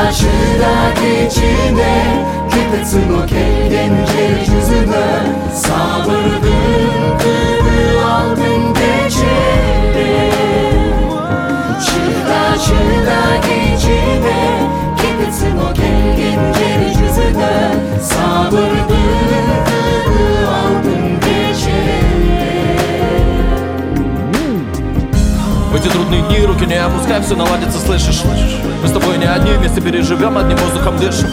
чыда кичине кететсин о келген жер жүзүнө, сабырдын түбү алтын дечере. Чыда чыда кичине кететсин о келген жер жүзүнө, сабырдын түбү алтын дечере. В эти трудные дни руки не опускай, все наладится, слышишь? Мы с тобой не одни, вместе переживем, одним воздухом дышим.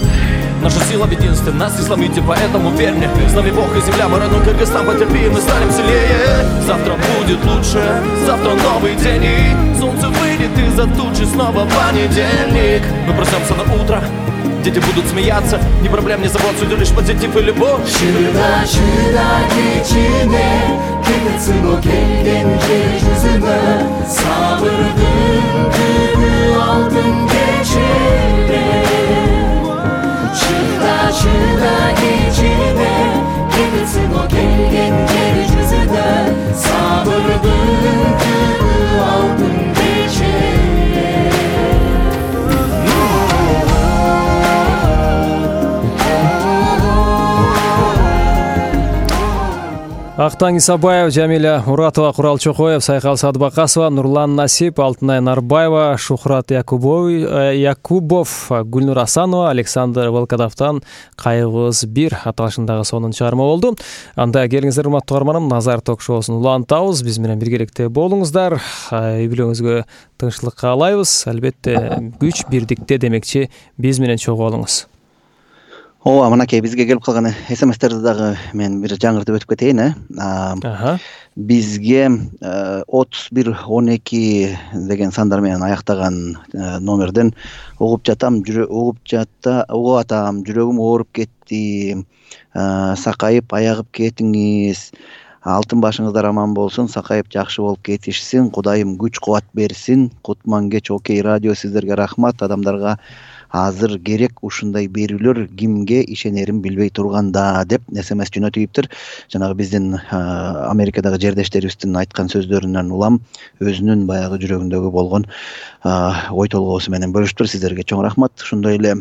Наша сила в единстве, нас не сломите, поэтому верь мне. С нами Бог и земля, мы родной Кыргызстан, потерпи, мы станем сильнее. Завтра будет лучше, завтра новый день, и солнце выйдет из-за тучи, снова понедельник. Мы проснемся на утро, дети будут смеяться, ни проблем, ни забот, судя лишь позитив и любовь. Чыда чыда кичине кететсин о келген жер жүзүнө, сабырдын түбү алтын дечере. Чыда чыда кичине кететсин о келген жер жүзүнө, сабырдын түбү алтын дечере. Актан Исабаев, Жамиля Муратова, Курал Чокоев, Сайкал Садбакасова, Нурлан Насип, Алтынай Нарбаева, Шухрат Якубов, Гүлнур Асанова, Александр Волкодовтан Кайгыбыз бир аталышындагы сонун чыгарма болду. Анда келиңиздер, урматтуу угарманым, Назар ток-шоусун улантабыз. Биз менен биргеликте болуңуздар. Үй бүлөңүзгө тынччылык каалайбыз. Албетте күч бирдикте демекчи, биз менен чогуу болуңуз. Ооба, мынакей бизге келип калган смстерди дагы мен бир жаңыртып өтүп кетейин, э. Бизге отуз бир он эки деген сандар менен аяктаган номерден угуп жатам, угуп жатта, угуп атам, жүрөгүм ооруп кетти, сакайып аягып кетиңиз, алтын башыңыздар аман болсун, сакайып жакшы болуп кетишсин, Кудайым күч кубат берсин. Кутман-кеч Окей радио, сиздерге рахмат. Адамдарга азыр керек ушундай берүүлөр, кимге ишенерин билбей турганда деп смс жөнөтүптүр. Жанагы биздин Америкадагы жердештерибиздин айткан сөздөрүнөн улам өзүнүн баягы жүрөгүндөгү болгон ой толгоосу менен бөлүштүр. Сиздерге чоң рахмат. Ошондой эле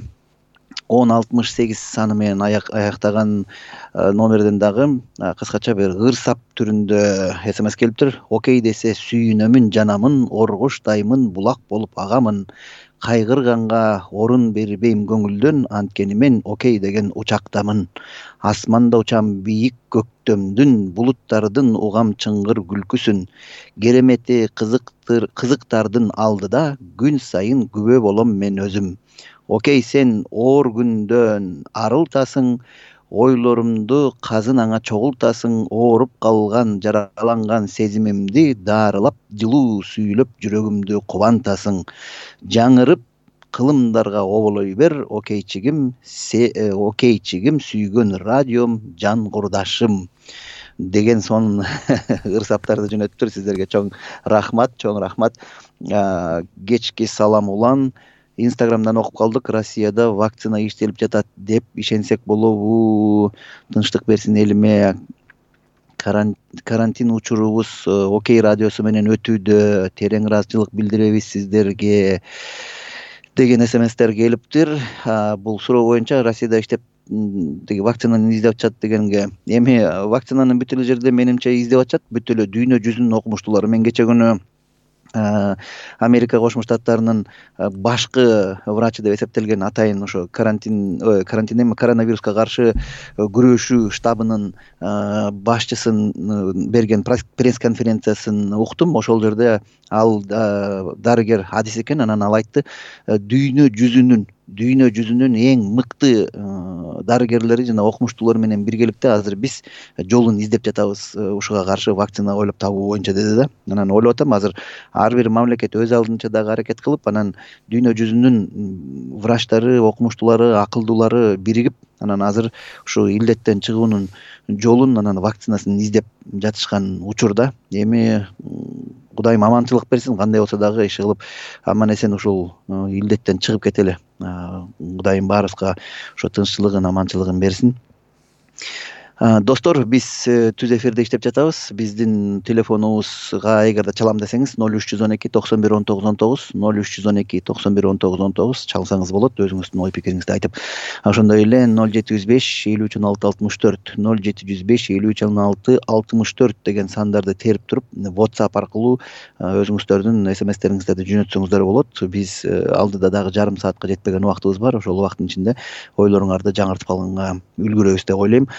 он алтымыш сегиз саны менен аяктаган номерден дагы кыскача бир ырсап түрүндө смс келиптир. Окей десе сүйүнөмүн жанамын, оргуштаймын, булак болуп агамын. Кайгырганга орун бербейм көңүлдөн, анткени мен окей деген учактамын. Асманда учам бийик көктөмдүн, булуттардын угам чыңгыр күлкүсүн. Керемети кызыктыр кызыктардын алдыда, күн сайын күбө болом мен өзүм. Окей, сен оор күндөн арылтасың, ойлорумду казын аңа чогултасың, ооруп калган, жараланган сезимимди даарылап, жылуу сүйүлөп жүрөгүмдү кубантасың. Жаңырып кылымдарга оболой бер, окейчигим, окейчигим, сүйгөн радиом, жан курдашым деген сонун ырсаптарды жөнөттүр. Сиздерге чоң рахмат, чоң рахмат. Кечки салам улан. Инстаграмдан окуп калдык. Россияда вакцина иштелип жатат деп ишенсек болобу? Тынчтык берсин элиме. Карантин учурубуз Окей радиосу менен өтүүдө. Терең ыраазычылык билдиребиз сиздерге деген смстер келиптир. Бул суроо боюнча Россияда иштеп деги вакцинаны издеп атышат дегенге, эми вакцинаны бүт эле жерде менимче издеп атышат, бүт эле дүйнө жүзүнүн окумуштуулары. Мен кече күнү Америка Кошмо Штаттарынын башкы врачы деп эсептелген атайын ошо карантин карантин эми коронавируска каршы күрөшүү штабынын башчысын берген пресс-конференциясын уктум. Ошол жерде ал дарыгер адис экен, анан ал айтты, дүйнө жүзүнүн дүйнө жүзүнүн эң мыкты дарыгерлери жана окумуштуулар менен биргеликте азыр биз жолун издеп жатабыз ушуга каршы вакцина ойлоп табуу боюнча деди да. Анан ойлоп атам, азыр ар бир мамлекет өз алдынча дагы аракет кылып, анан дүйнө жүзүнүн врачтары, окумуштуулары, акылдуулары биригип, анан азыр ушу илдеттен чыгуунун жолун, анан вакцинасын издеп жатышкан учурда. Эми Кудайым аманчылык берсин, кандай болсо дагы иш кылып аман эсен ушул илдеттен чыгып кетели. Кудайым баарыбызга ошо тынччылыгын, аманчылыгын берсин. Достор, биз түз эфирде иштеп жатабыз. Биздин телефонубузга эгерде чалам десеңиз ноль үч жүз он эки токсон бир он тогуз он тогуз, ноль үч жүз он эки токсон бир он тогуз он тогуз чалсаңыз болот, өзүңүздүн ой пикириңизди айтып. Ошондой эле ноль жети жүз беш элүү үч он алты алтымыш төрт, ноль жети жүз беш элүү үч он алты алтымыш төрт деген сандарды терип туруп, WhatsApp аркылуу өзүңүздөрдүн смстериңиздерди жөнөтсөңүздөр болот. Биз алдыда дагы жарым саатка жетпеген убактыбыз бар. Ошол убакыттын ичинде ойлоруңарды жаңыртып калганга үлгүрөбүз деп ойлойм.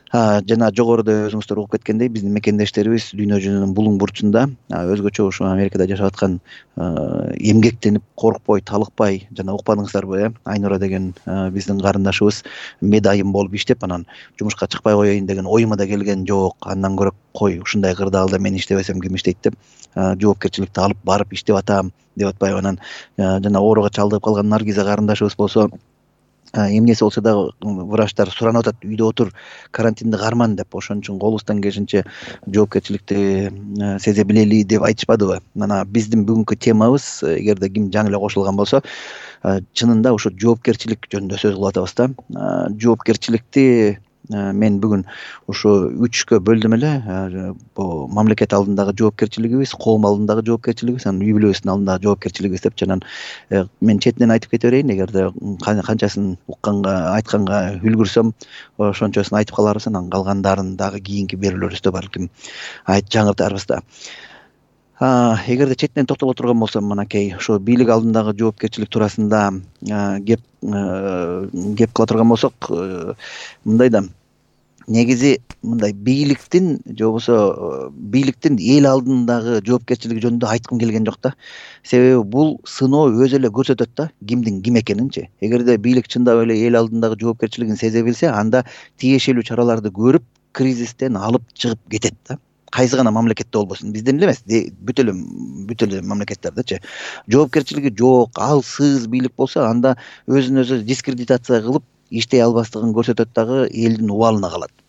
Жана жогоруда өзүңүздөр угуп кеткендей, биздин мекендештерибиз дүйнө жүзүнүн булуң бурчунда, өзгөчө ушу Америкада жашап аткан эмгектенип, коркпой, талыкпай, жана укпадыңыздарбы, э, Айнура деген биздин карындашыбыз медайым болуп иштеп, анан жумушка чыкпай коеюн деген оюма да келген жок. Андан көрө кой ушундай кырдаалда мен иштебесем ким иштейт деп, жоопкерчиликти алып барып иштеп атам деп атпайбы. Анан жана ооруга чалдыгып калган Наргиза карындашыбыз болсо, эмнеси болсо дагы врачтар суранып атат, үйдө отур, карантинди карман деп. Ошон үчүн колубуздан келишинче жоопкерчиликти сезе билели деп айтышпадыбы. Мына биздин бүгүнкү темабыз, эгерде ким жаңы эле кошулган болсо, чынында ошо жоопкерчилик жөнүндө сөз кылып атабыз да. Жоопкерчиликти мен бүгүн ушу үчкө бөлдүм эле. Бул мамлекет алдындагы жоопкерчилигибиз, коом алдындагы жоопкерчилигибиз, анан үй бүлөбүздүн алдындагы жоопкерчилигибиз деп. Анан мен четинен айтып кете берейин, эгерде канчасын укканга, айтканга үлгүрсөм, ошончосун айтып каларбыз, анан калгандарын дагы кийинки берүүлөрүбүздө балким айт жаңыртарбыз да. Эгерде четинен токтоло турган болсом, мынакей ошо бийлик алдындагы жоопкерчилик туурасында кеп кеп кыла турган болсок, мындай да, негизи мындай бийликтин же болбосо бийликтин эл алдындагы жоопкерчилиги жөнүндө айткым келген жок да. Себеби бул сыноо өзү эле көрсөтөт да кимдин ким экенинчи. Эгерде бийлик чындап эле эл алдындагы жоопкерчилигин сезе билсе, анда тиешелүү чараларды көрүп, кризистен алып чыгып кетет да. Кайсы гана мамлекетте болбосун, бизден эле эмес, бүт эле бүт эле мамлекеттердечи. Жоопкерчилиги жок, алсыз бийлик болсо, анда өзүн өзү дискредитация кылып, иштей албастыгын көрсөтөт дагы, элдин убалына калат.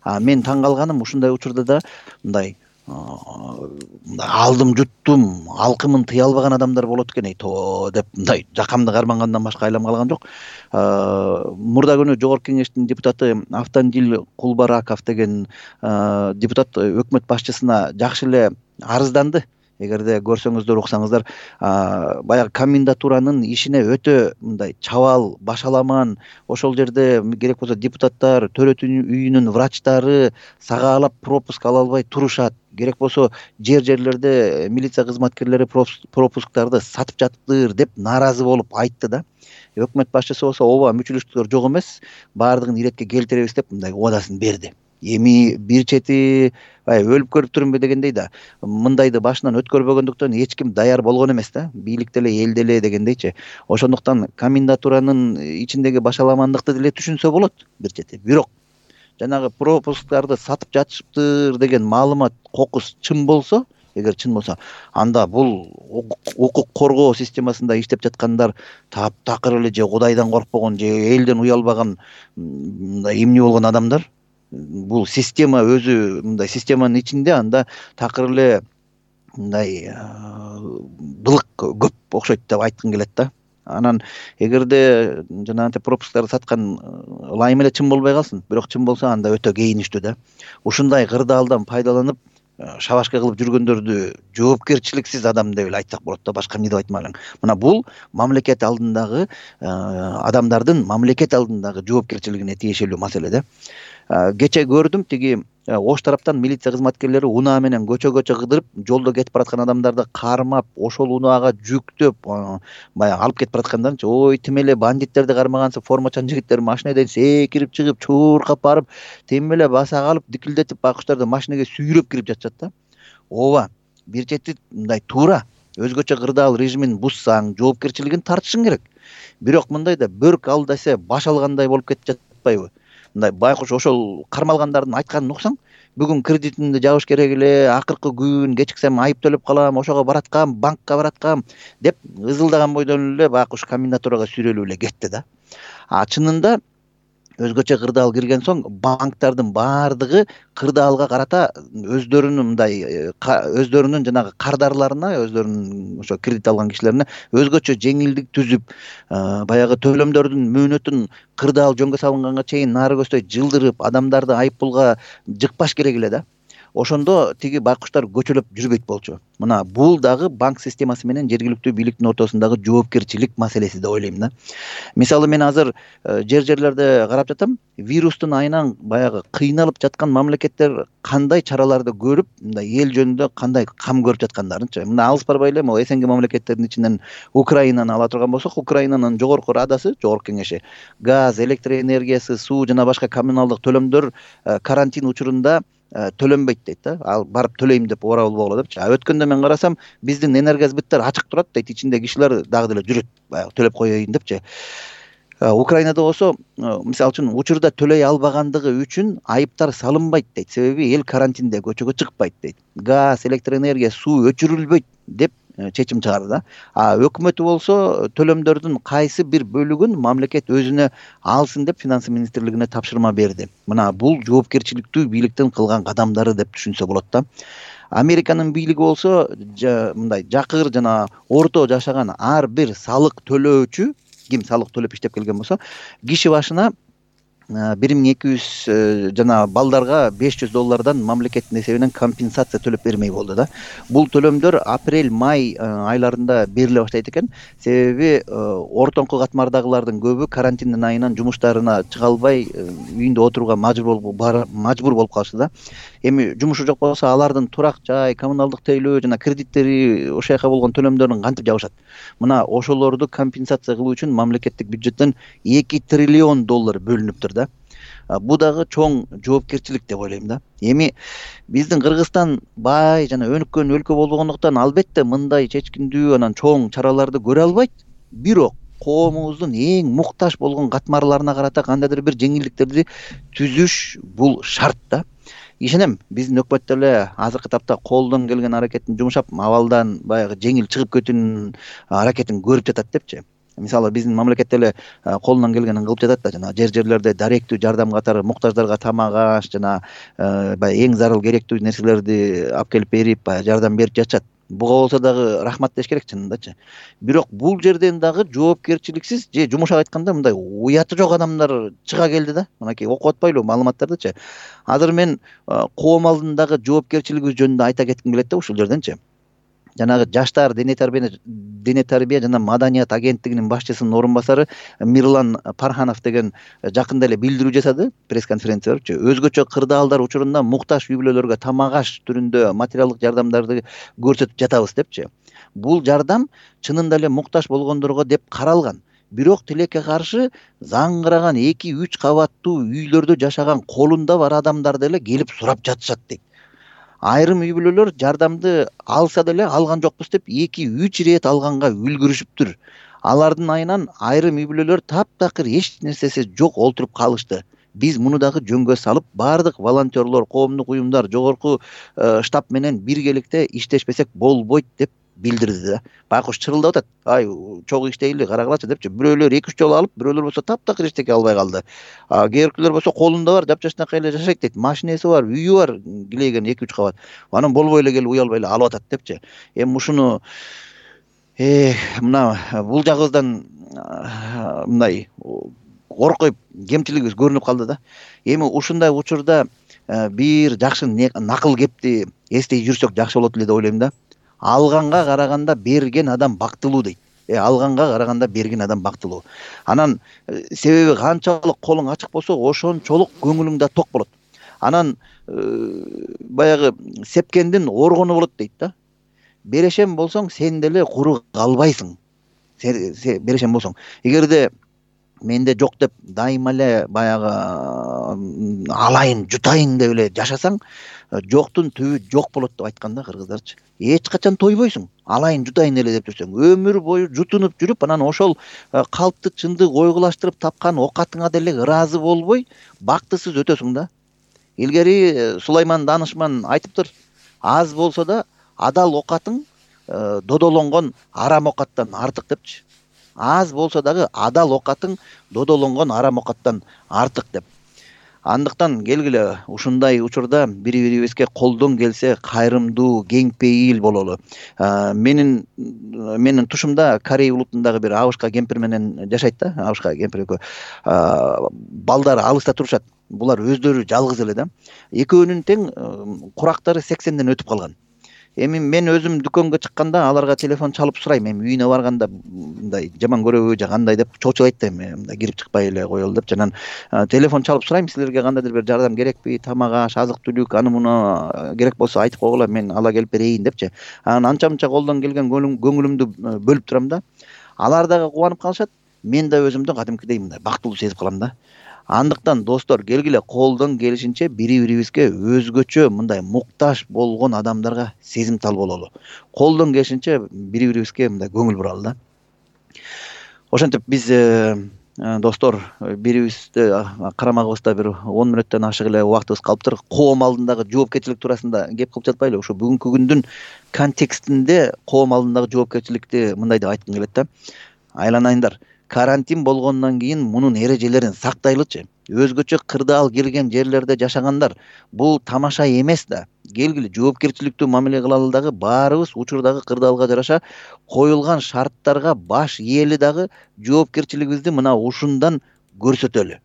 А мен таң калганым, ушундай учурда да мындай алдым жуттум, алкымын тыя албаган адамдар болот экен, эй то деп мындай жакамды кармангандан башка айлам калган жок. Мурда күнү Жогорку Кеңештин депутаты Автандил Кулбараков деген депутат өкмөт башчысына жакшы эле арызданды. эгерде көрсөңүздөр уксаңыздар, баягы комендатуранын ишине өтө мындай чабал, башаламан, ошол жерде керек болсо депутаттар, төрөт үйүнүн врачтары сагаалап пропуск ала албай турушат. Керек болсо жер жерлерде милиция кызматкерлери пропусктарды сатып жатыптыр деп нааразы болуп айтты да. Өкмөт башчысы болсо ооба мүчүлүштүктөр жок эмес, баардыгын иретке келтиребиз деп мындай убадасын берди. Эми бир чети өлүп көрүп турмун дегендей да, мындайды башынан өткөрбөгөндүктөн эч ким даяр болгон эмес да, бийлик деле эл деле дегендейчи. Ошондуктан комендатуранын ичиндеги башаламандыкты деле түшүнсө болот бир чети. Бирок жанагы пропусктарды сатып жатышыптыр деген маалымат кокус чын болсо, эгер чын болсо, анда бул укук коргоо системасында иштеп жаткандар таптакыр эле же Кудайдан коркпогон же элден уялбаган мындай эмне болгон адамдар. Бул система өзү мындай системанын ичинде анда такыр эле мындай былык көп окшойт деп айткым келет да. Анан эгерде жанагынтип пропусктарды саткан ылайым эле чын болбой калсын, бирок чын болсо анда өтө кейиништүү да. Ушундай кырдаалдан пайдаланып шабашка кылып жүргөндөрдү жоопкерчиликсиз адам деп эле айтсак болот да, башка эмне деп айтмай элем. Мына бул мамлекет алдындагы адамдардын мамлекет алдындагы жоопкерчилигине тиешелүү маселе да. Кече көрдүм, тиги Ош тараптан милиция кызматкерлери унаа менен көчө-көчө кыдырып, жолдо кетип бараткан адамдарды кармап, ошол унаага жүктөп, баягы алып кетип бараткандарынчы, ой тим эле бандиттерди кармагансып, формачан жигиттер машинеден секирип чыгып, чууркап барып, тим эле баса калып, дикилдетип байкуштарды машинеге сүйрөп кирип жатышат да. Ооба, бир чети мындай туура, өзгөчө кырдаал режимин бузсаң, жоопкерчилигин тартышың керек. Бирок мындай да бөрк ал десе баш алгандай болуп кетип жатпайбы? Мындай байкуш ошол кармалгандардын айтканын уксаң, бүгүн кредитимди жабыш керек эле, акыркы күн кечиксем айып төлөп калам, ошого бараткам, банкка бараткам деп ызылдаган бойдон эле байкуш комендатурага сүйрөлүп эле кетти да. А чынында өзгөчө кырдаал кирген соң банктардын баардыгы кырдаалга карата өздөрүнүн мындай өздөрүнүн жанагы кардарларына, өздөрүнүн ошо кредит алган кишилерине өзгөчө жеңилдик түзүп, баягы төлөмдөрдүн мөөнөтүн кырдаал жөнгө салынганга чейин нары көздөй жылдырып, адамдарды айыппулга жыкпаш керек эле да. Ошондо тиги байкуштар көчөлөп жүрбөйт болчу. Мына бул дагы банк системасы менен жергиликтүү бийликтин ортосундагы жоопкерчилик маселеси деп ойлойм да. Мисалы мен азыр жер жерлерде карап жатам, вирустун айынан баягы кыйналып жаткан мамлекеттер кандай чараларды көрүп, мындай эл жөнүндө кандай кам көрүп жаткандарынчы. Мына алыс барбай эле могу СНГ мамлекеттеринин ичинен Украинаны ала турган болсок, Украинанын жогорку радасы, жогорку кеңеши, газ, электр энергиясы, суу жана башка коммуналдык төлөмдөр карантин учурунда төлөнбөйт дейт да. Ал барып төлөйм деп ора болбогула депчи. А өткөндө мен карасам, биздин энергосбыттар ачык турат дейт, ичинде кишилер дагы деле жүрөт, баягы төлөп коеюн депчи. Украинада болсо, мисалы үчүн учурда төлөй албагандыгы үчүн айыптар салынбайт дейт. Себеби эл карантинде көчөгө чыкпайт дейт. Газ, электр энергия, суу өчүрүлбөйт деп чечим чыгарды да. А өкмөтү болсо төлөмдөрдүн кайсы бир бөлүгүн мамлекет өзүнө алсын деп финансы министрлигине тапшырма берди. Мына бул жоопкерчиликтүү бийликтин кылган кадамдары деп түшүнсө болот да. Американын бийлиги болсо мындай жакыр жана орто жашаган ар бир салык төлөөчү, ким салык төлөп иштеп келген болсо, киши башына бир миң эки жүз жана балдарга беш жүз доллардан мамлекеттин эсебинен компенсация төлөп бермей болду да. Бул төлөмдөр апрель-май айларында бериле баштайт экен. Себеби ортоңку катмардагылардын көбү карантиндин айынан жумуштарына чыга албай үйүндө отурууга мажбур болуп мажбур болуп калышты да. Эми жумушу жок болсо, алардын турак жай, коммуналдык тейлөө жана кредиттери, ошол жака болгон төлөмдөрүн кантип жабышат? Мына ошолорду компенсация кылуу үчүн мамлекеттик бюджеттен эки триллион доллар бөлүнүптүр да. Бу дагы чоң жоопкерчилик деп ойлойм да. Эми биздин Кыргызстан бай жана өнүккөн өлкө болгондуктан албетте мындай чечкиндүү анан чоң чараларды көрө албайт. Бирок коомубуздун эң муктаж болгон катмарларына карата кандайдыр бир жеңилдиктерди түзүш бул шарт да. Ишенем, биздин өкмөт деле азыркы тапта колдон келген аракетин жумшап, абалдан баягы жеңил чыгып кетүүнүн аракетин көрүп жатат депчи. Мисалы биздин мамлекет деле колунан келгенин кылып жатат да, жана жер жерлерде даректүү жардам катары муктаждарга тамак аш жана баягы эң зарыл керектүү нерселерди алып келип берип, баягы жардам берип жатышат. Буга болсо дагы рахмат деш керек чынындачы. Бирок бул жерден дагы жоопкерчиликсиз же жумушак айтканда мындай уяты жок адамдар чыга келди да. Мынакей окуп атпайлы маалыматтардычы. Азыр мен коом алдындагы жоопкерчилигибиз жөнүндө айта кетким келет да ушул жерденчи. жанагы жаштар дене тарбия дене тарбия жана маданият агенттигинин башчысынын орун басары Мирлан Парханов деген жакында эле билдирүү жасады, пресс-конференция берипчи. Өзгөчө кырдаалдар учурунда муктаж үй бүлөлөргө тамак аш түрүндө материалдык жардамдарды көрсөтүп жатабыз депчи. Бул жардам чынында эле муктаж болгондорго деп каралган. Бирок тилекке каршы заңгыраган эки үч кабаттуу үйлөрдө жашаган колунда бар адамдар деле келип сурап жатышат дейт. Айрым үй бүлөлөр жардамды алса деле алган жокпуз деп эки үч ирет алганга үлгүрүшүптүр. Алардын айынан айрым үй бүлөлөр таптакыр эч нерсеси жок олтуруп калышты. Биз муну дагы жөнгө салып, бардык волонтерлор, коомдук уюмдар жогорку штаб менен биргеликте иштешпесек болбойт деп билдирди да. Байкуш чырылдап атат. Ай, чогуу иштейли, карагылачы депчи. Бирөөлөр эки үч жолу алып, бирөөлөр болсо таптакыр эчтеке албай калды. А кээбиркилер болсо колунда бар, жапжашнакай эле жашайт дейт. Машинеси бар, үйү бар, килейген эки үч кабат. Анан болбой эле келип уялбай эле алып атат депчи. Эми ушуну э мына бул жагыбыздан мындай коркуп кемчилигибиз көрүнүп калды да. Эми ушундай учурда бир жакшы накыл кепти эстей жүрсөк жакшы болот эле деп ойлойм да. Алганга караганда берген адам бактылуу дейт. Э алганга караганда берген адам бактылуу. Анан себеби канчалык колуң ачык болсо, ошончолук көңүлүң да ток болот. Анан баягы сепкендин оргону болот дейт да. Берешем болсоң, сен деле куру калбайсың. Берешем болсоң. Эгерде менде жок деп дайыма эле баягы алайын, жутайын деп эле жашасаң, жоктун түбү жок болот деп айткан да кыргыздарчы. Эч качан тойбойсуң. Алайын, жутайын эле деп жүрсөң, өмүр бою жутунуп жүрүп, анан ошол калпты чындык ойгулаштырып тапкан окатыңа деле ыраазы болбой, бактысыз өтөсүң да. Илгери Сулайман Данышман айтыптыр, аз болсо да адал окатың додолонгон арам окаттан артык депчи. Аз болсо дагы адал окатың додолонгон арам окаттан артык деп. Андыктан келгиле ушундай учурда бири-бирибизге колдон келсе кайрымдуу, кең пейил бололу. Менин менин тушумда Корей улутундагы бир абышка кемпир менен жашайт да, абышка кемпир экөө. Балдары алыста турушат. Булар өздөрү жалгыз эле да. Экөөнүн тең курактары сексенден өтүп калган. Эми мен өзүм дүкөнгө чыкканда аларга телефон чалып сурайм, эми үйүнө барганда мындай жаман көрөбү же кандай деп чочулайт да, эми мындай кирип чыкпай эле коелу деп. Жанан телефон чалып сурайм, силерге кандайдыр бир жардам керекпи, тамак аш, азык-түлүк, аны муну керек болсо айтып койгула, мен ала келип берейин депчи. Анан анча-мынча колдон келген көңүлүмдү бөлүп турам да. Алар дагы кубанып калышат, мен да өзүмдү кадимкидей мындай бактылуу сезип калам да. Андыктан достор, келгиле колдон келишинче бири-бирибизге өзгөчө мындай муктаж болгон адамдарга сезимтал бололу. Колдон келишинче бири-бирибизге мындай көңүл буралы да. Ошентип биз достор, бирибизди карамагыбызда бир он мүнөттөн ашык эле убактыбыз калыптыр. Коом алдындагы жоопкерчилик туурасында кеп кылып жатпайлы. Ошо бүгүнкү күндүн контекстинде коом алдындагы жоопкерчиликти мындай деп айткым келет да. Айланайындар, карантин болгондон кийин мунун эрежелерин сактайлычы. Өзгөчө кырдаал кирген жерлерде жашагандар, бул тамаша эмес да. Келгиле жоопкерчиликтүү мамиле кылалы дагы баарыбыз учурдагы кырдаалга жараша коюлган шарттарга баш ээли дагы жоопкерчилигибизди мына ушундан көрсөтөлү.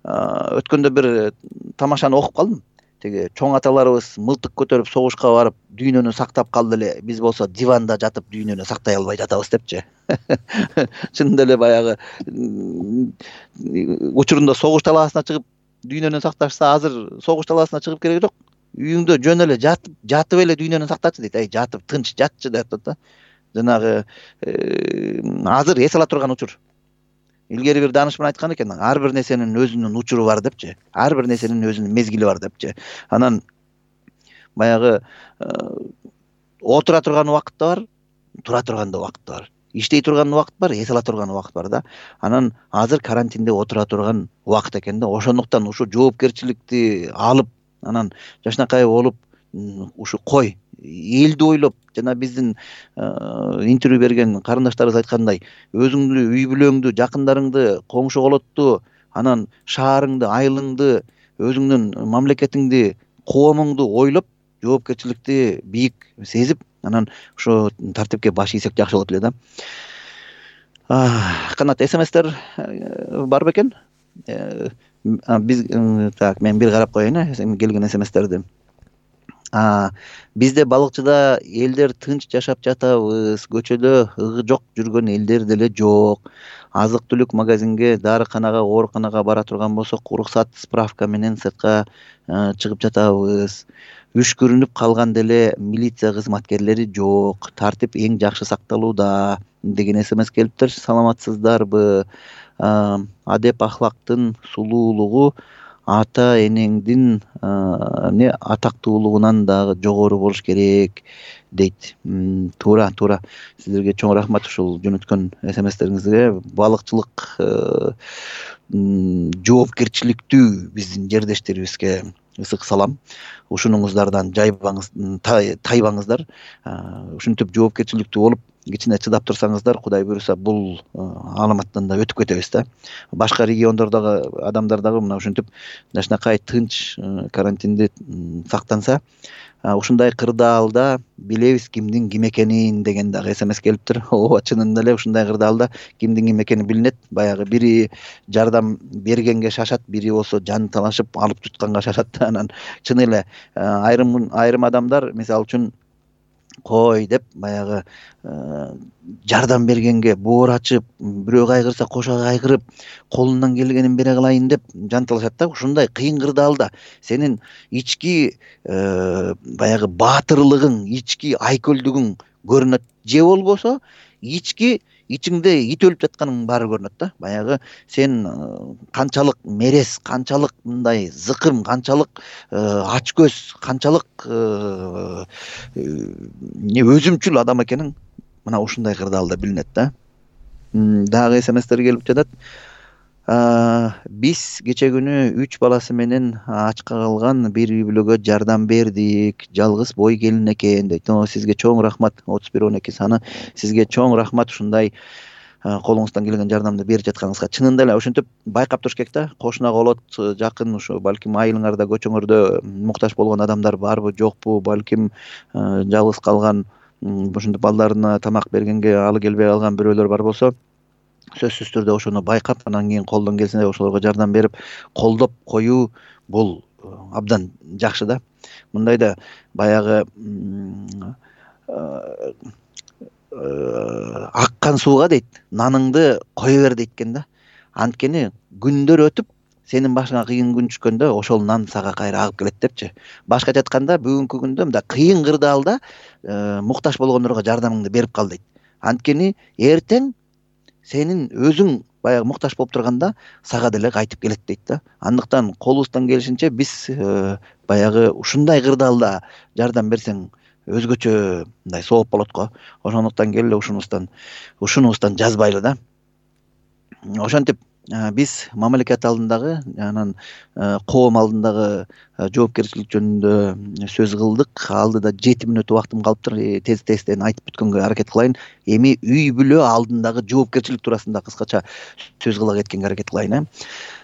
Өткөндө бир тамашаны окуп калдым. Теги чоң аталарыбыз мылтык көтөрүп согушка барып, дүйнөнү сактап калды эле. Биз болсо диванда жатып дүйнөнү сактай албай жатабыз депчи. Чынында эле баягы учурунда согуш талаасына чыгып дүйнөнү сакташса, азыр согуш талаасына чыгып кереги жок. Үйүңдө жөн эле жатып, жатып эле дүйнөнү сактачы дейт. Ай, жатып тынч жатчы деп атат да. Жанагы азыр эс ала турган учур. Илгери бир данышман айткан экен, ар бир нерсенин өзүнүн учуру бар депчи. Ар бир нерсенин өзүнүн мезгили бар депчи. Анан баягы отура турган убакыт да бар, тура турган да убакыт бар. Иштей турган убакыт бар, эс ала турган убакыт бар да. Анан азыр карантинде отура турган убакыт экен да. Ошондуктан ушу жоопкерчиликти алып, анан жашнакай болуп, ушу кой, элди ойлоп, жана биздин интервью берген карындаштарыбыз айткандай, өзүңдү, үй бүлөңдү, жакындарыңды, коңшу колотту, анан шаарыңды, айылыңды, өзүңдүн мамлекетиңди, коомуңду ойлоп, жоопкерчиликти бийик сезип, анан ошо тартипке баш ийсек жакшы болот эле да. Канат, смстер бар бекен? Биз так, мен бир карап коеюн, келген смстерди. бизде балыкчыда элдер тынч жашап жатабыз, көчөдө ыгы жок жүргөн элдер деле жок. Азык түлүк магазинге, дарыканага, ооруканага бара турган болсок, уруксат справка менен сыртка чыгып жатабыз. Үшкүрүнүп калган деле милиция кызматкерлери жок. Тартип эң жакшы сакталууда деген смс келиптир. Саламатсыздарбы? Адеп ахлактын сулуулугу ата энеңдин эмне атактуулугунан дагы жогору болуш керек дейт. Туура, туура. Сиздерге чоң рахмат ушул жөнөткөн смстериңизге. Балыкчылык жоопкерчиликтүү биздин жердештерибизге ысык салам. Ушунуңуздардан жайбаңыз, тайбаңыздар. Ушинтип жоопкерчиликтүү болуп, кичине чыдап турсаңыздар, Кудай буйруса, бул аламаттан да өтүп кетебиз да. Башка региондордогу адамдар дагы мына ушинтип жакшынакай тынч карантинде сактанса, ушундай кырдаалда билебиз кимдин ким экенин деген дагы смс келиптир. Ооба, чынында эле ушундай кырдаалда кимдин ким экени билинет. Баягы бири жардам бергенге шашат, бири болсо жан талашып алып тутканга шашат. Анан чын эле айрым айрым адамдар мисалы үчүн кой деп баягы жардам бергенге боор ачып, бирөө кайгырса кошо кайгырып, колунан келгенин бере кылайын деп жан талашат да. Ушундай кыйын кырдаалда сенин ички баягы баатырлыгың, ички айкөлдүгүң көрүнөт. Же болбосо ички ичиңде ит өлүп жатканың баары көрүнөт да. Баягы сен канчалык мерес, канчалык мындай зыкым, канчалык ачкөз, канчалык өзүмчүл адам экениң мына ушундай кырдаалда билинет да. Дагы смстер келип жатат. Биз кече күнү үч баласы менен ачка калган бир үй бүлөгө жардам бердик. Жалгыз бой келин экен дейт. Сизге чоң рахмат. отуз бир он эки саны. Сизге чоң рахмат ушундай колуңуздан келген жардамды берип жатканыңызга. Чынында эле ушинтип байкап туруш керек да. Кошуна колот, жакын ушу балким айылыңарда, көчөңөрдө муктаж болгон адамдар барбы, жокпу, балким жалгыз калган, ушинтип балдарына тамак бергенге алы келбей калган бирөөлөр бар болсо, сөзсүз түрдө ошону байкап, анан кийин колдон келсе ошолорго жардам берип, колдоп коюу бул абдан жакшы да. Мындайда баягы аккан сууга дейт, наныңды кое бер дейт экен да. Анткени күндөр өтүп, сенин башыңа кыйын күн түшкөндө ошол нан сага кайра агып келет депчи. Башкача айтканда, бүгүнкү күндө мындай кыйын кырдаалда муктаж болгондорго жардамыңды берип кал дейт. Анткени эртең сенин өзүң баягы муктаж болуп турганда сага деле кайтып келет дейт да. Андыктан колубуздан келишинче биз баягы ушундай кырдаалда жардам берсең өзгөчө мындай сооп болот го. Ошондуктан келе ушунубуздан ушунубуздан жазбайлы да. Ошентип биз мамлекет алдындагы, анан коом алдындагы жоопкерчилик жөнүндө сөз кылдык. Алдыда жети мүнөт убактым калыптыр. Тез тезден айтып бүткөнгө аракет кылайын. Эми үй бүлө алдындагы жоопкерчилик туурасында кыскача сөз кыла кеткенге аракет кылайын.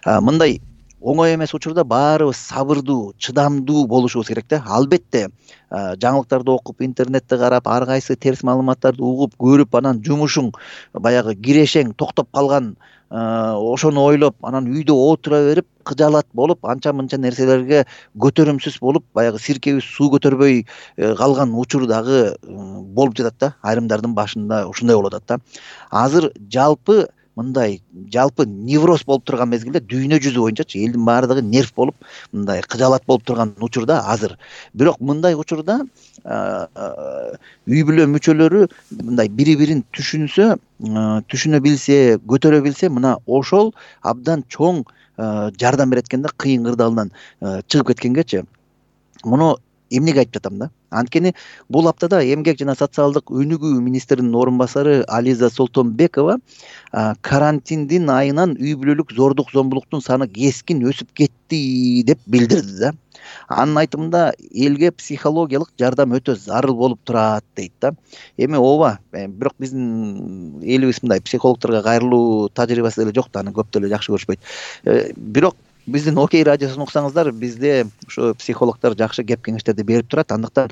Мындай оңой эмес учурда баарыбыз сабырдуу, чыдамдуу болушубуз керек да. Албетте жаңылыктарды окуп, интернетте карап, ар кайсы терс маалыматтарды угуп, көрүп, анан жумушуң баягы кирешең токтоп калган, ошону ойлоп, анан үйдө отура берип, кыжаалат болуп, анча-мынча нерселерге көтөрүмсүз болуп, баягы сиркебиз суу көтөрбөй калган учур дагы болуп жатат да. Айрымдардын башында ушундай болуп атат да. Азыр жалпы мындай жалпы невроз болуп турган мезгилде дүйнө жүзү боюнчачы элдин баардыгы нерв болуп, мындай кыжаалат болуп турган учурда азыр. Бирок мындай учурда үй бүлө мүчөлөрү мындай бири-бирин түшүнсө, түшүнө билсе, көтөрө билсе, мына ошол абдан чоң жардам берет экен да, кыйын кырдаалдан чыгып кеткенгечи. Муну эмнеге айтып жатам да? Анткени бул аптада эмгек жана социалдык өнүгүү министринин орун басары Ализа Солтонбекова карантиндин айынан үй бүлөлүк зордук зомбулуктун саны кескин өсүп кетти деп билдирди да. Анын айтымында элге психологиялык жардам өтө зарыл болуп турат дейт да. Эми ооба, бирок биздин элибиз мындай психологдорго кайрылуу тажрыйбасы деле жок да, аны көп деле жакшы көрүшпөйт. Бирок биздин Окей радиосун уксаңыздар, бизде ушу психологдор жакшы кеп кеңештерди берип турат. Андыктан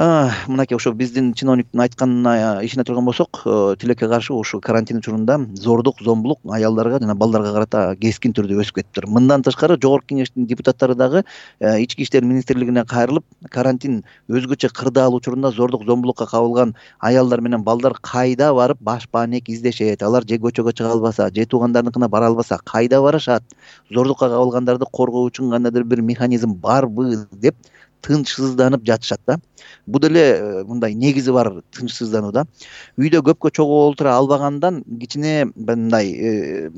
мынакей ошо биздин чиновниктин айтканына ишене турган болсок, тилекке каршы ушу карантин учурунда зордук, зомбулук аялдарга жана балдарга карата кескин түрдө өсүп кетиптир. Мындан тышкары Жогорку Кеңештин депутаттары дагы Ички иштер министрлигине кайрылып, карантин өзгөчө кырдаал учурунда зордук, зомбулукка кабылган аялдар менен балдар кайда барып баш баанек издешет, алар же көчөгө чыга албаса, же туугандарыныкына бара албаса кайда барышат, зордукка кабылгандарды коргоо үчүн кандайдыр бир механизм барбы деп тынчсызданып жатышат да. Бул деле мындай негизи бар тынчсыздануу да. Үйдө көпкө чогуу олтура албагандан кичине мындай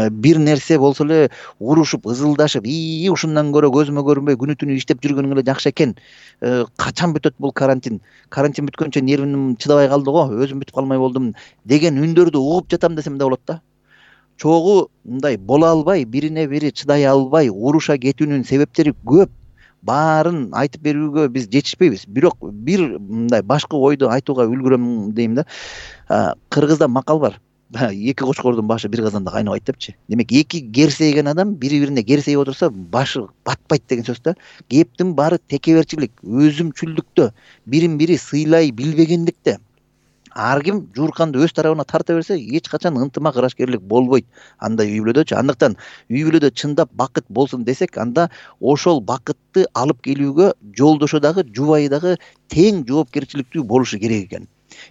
бир нерсе болсо эле урушуп, ызылдашып, ии ушундан көрө көзүмө көрүнбөй күнү түнү иштеп жүргөнүң эле жакшы экен. Качан бүтөт бул карантин? Карантин бүткөнчө нервим чыдабай калды го, өзүм бүтүп калмай болдум деген үндөрдү угуп жатам десем да болот да. Чогуу мындай боло албай, бирине бири чыдай албай уруша кетүүнүн себептери көп. Баарын айтып берүүгө биз жетишпейбиз. Бирок бир мындай башкы ойду айтууга үлгүрөм дейм да. Кыргызда макал бар. Эки кочкордун башы бир казанда кайнабайт депчи. Демек, эки керсейген адам бири-бирине керсейип отурса, башы батпайт деген сөз да. Кептин баары текеберчилик, өзүмчүлдүктө, бирин-бири сыйлай билбегендикте. Ар ким жуурканды өз тарабына тарта берсе, эч качан ынтымак, ырашкерлик болбойт андай үй бүлөдөчү. Андыктан үй бүлөдө чындап бакыт болсун десек, анда ошол бакытты алып келүүгө жолдошу дагы, жубайы дагы тең жоопкерчиликтүү болушу керек экен.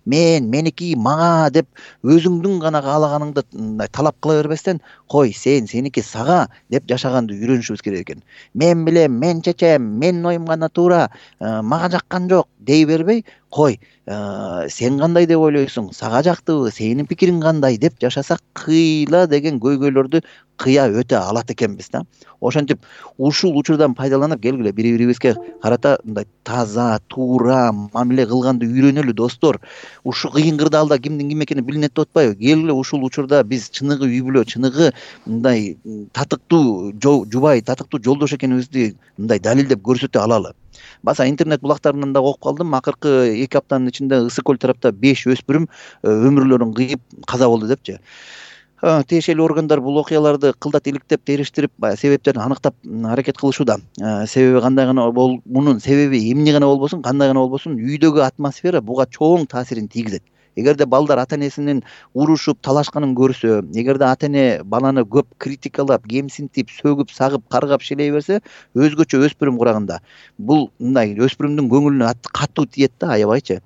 Мен, меники, мага деп өзүңдүн гана каалаганыңды талап кыла бербестен, кой, сен, сеники сага деп жашаганды үйрөнүшүбүз керек экен. Мен билем, мен чечем, менин оюм гана туура, мага жаккан жок дей бербей, кой, сен кандай деп ойлойсуң, сага жактыбы, сенин пикириң кандай деп жашасак кыйла деген көйгөйлөрдү кыя өтө алат экенбиз да. Ошентип ушул учурдан пайдаланып келгиле бири-бирибизге карата мындай таза, туура мамиле кылганды үйрөнөлү достор. Ушу кыйын кырдаалда кимдин ким экени билинет деп атпайбы? Келгиле ушул учурда биз чыныгы үй бүлө, чыныгы мындай татыктуу жубай, татыктуу жолдош экенибизди мындай далилдеп көрсөтө алалы. Баса интернет булактарынан да окуп калдым. Акыркы эки аптанын ичинде Ысык көл тарапта беш өспүрүм өмүрлөрүн кыйып каза болду депчи. Тиешелүү органдар бул окуяларды кылдат иликтеп, териштирип, себептерин аныктап аракет кылышууда. Себеби кандай гана бол, мунун себеби эмне гана болбосун, кандай гана болбосун, үйдөгү атмосфера буга чоң таасирин тийгизет. Эгерде балдар ата-энесинин урушуп, талашканын көрсө, эгерде ата-эне баланы көп критикалап, кемсинтип, сөгүп, сагып, каргап шилей берсе, өзгөчө өспүрүм курагында бул мындай өспүрүмдүн көңүлүнө катуу тиет да, аябайчы.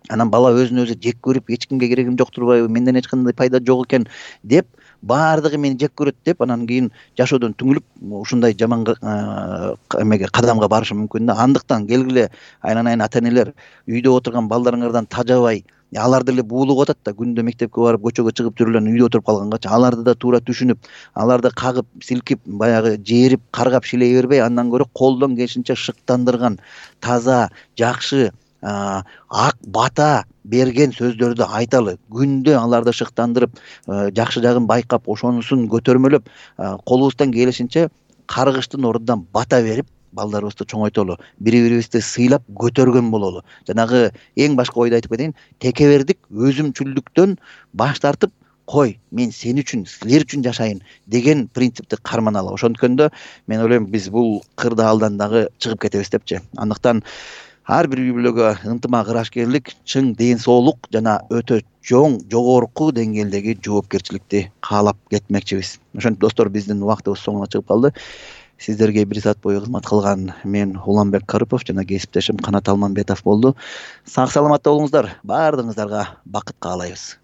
Анан бала өзүн өзү жек көрүп, эч кимге керегим жок турбайбы, менден эч кандай пайда жок экен деп, баардыгы мени жек көрөт деп, анан кийин жашоодон түңүлүп, ушундай жаман эмеге кадамга барышы мүмкүн да. Андыктан келгиле айланайын ата-энелер, үйдө отурган балдарыңардан тажабай, алар деле буулуп атат да, күндө мектепке барып, көчөгө чыгып жүрүлөн үйдө отуруп калгангачы, аларды да туура түшүнүп, аларды кагып, силкип, баягы жээрип, каргап шилей бербей, андан көрө колдон келишинче шыктандырган, таза, жакшы, ак бата берген сөздөрдү айталы. Күндө аларды шыктандырып, жакшы жагын байкап, ошонусун көтөрмөлөп, колубуздан келишинче каргыштын ордунан бата берип, балдарыбызды чоңойтолу, бири-бирибизди сыйлап көтөргөн бололу. Жанагы эң башкы ойду айтып кетейин, текебердик, өзүмчүлдүктөн баш тартып, кой, мен сен үчүн, силер үчүн жашайын деген принципти карманалы. Ошонткөндө мен ойлойм, биз бул кырдаалдан дагы чыгып кетебиз депчи. Андыктан ар бир үй бүлөгө ынтымак, ырашкерлик, чың ден соолук жана өтө чоң, жогорку деңгээлдеги жоопкерчиликти каалап кетмекчибиз. Ошентип достор, биздин убактыбыз соңуна чыгып калды. Сиздерге бир саат бою кызмат кылган мен Уланбек Карыпов жана кесиптешим Канат Алманбетов болду. Сак саламатта болуңуздар. Баардыгыңыздарга бакыт каалайбыз.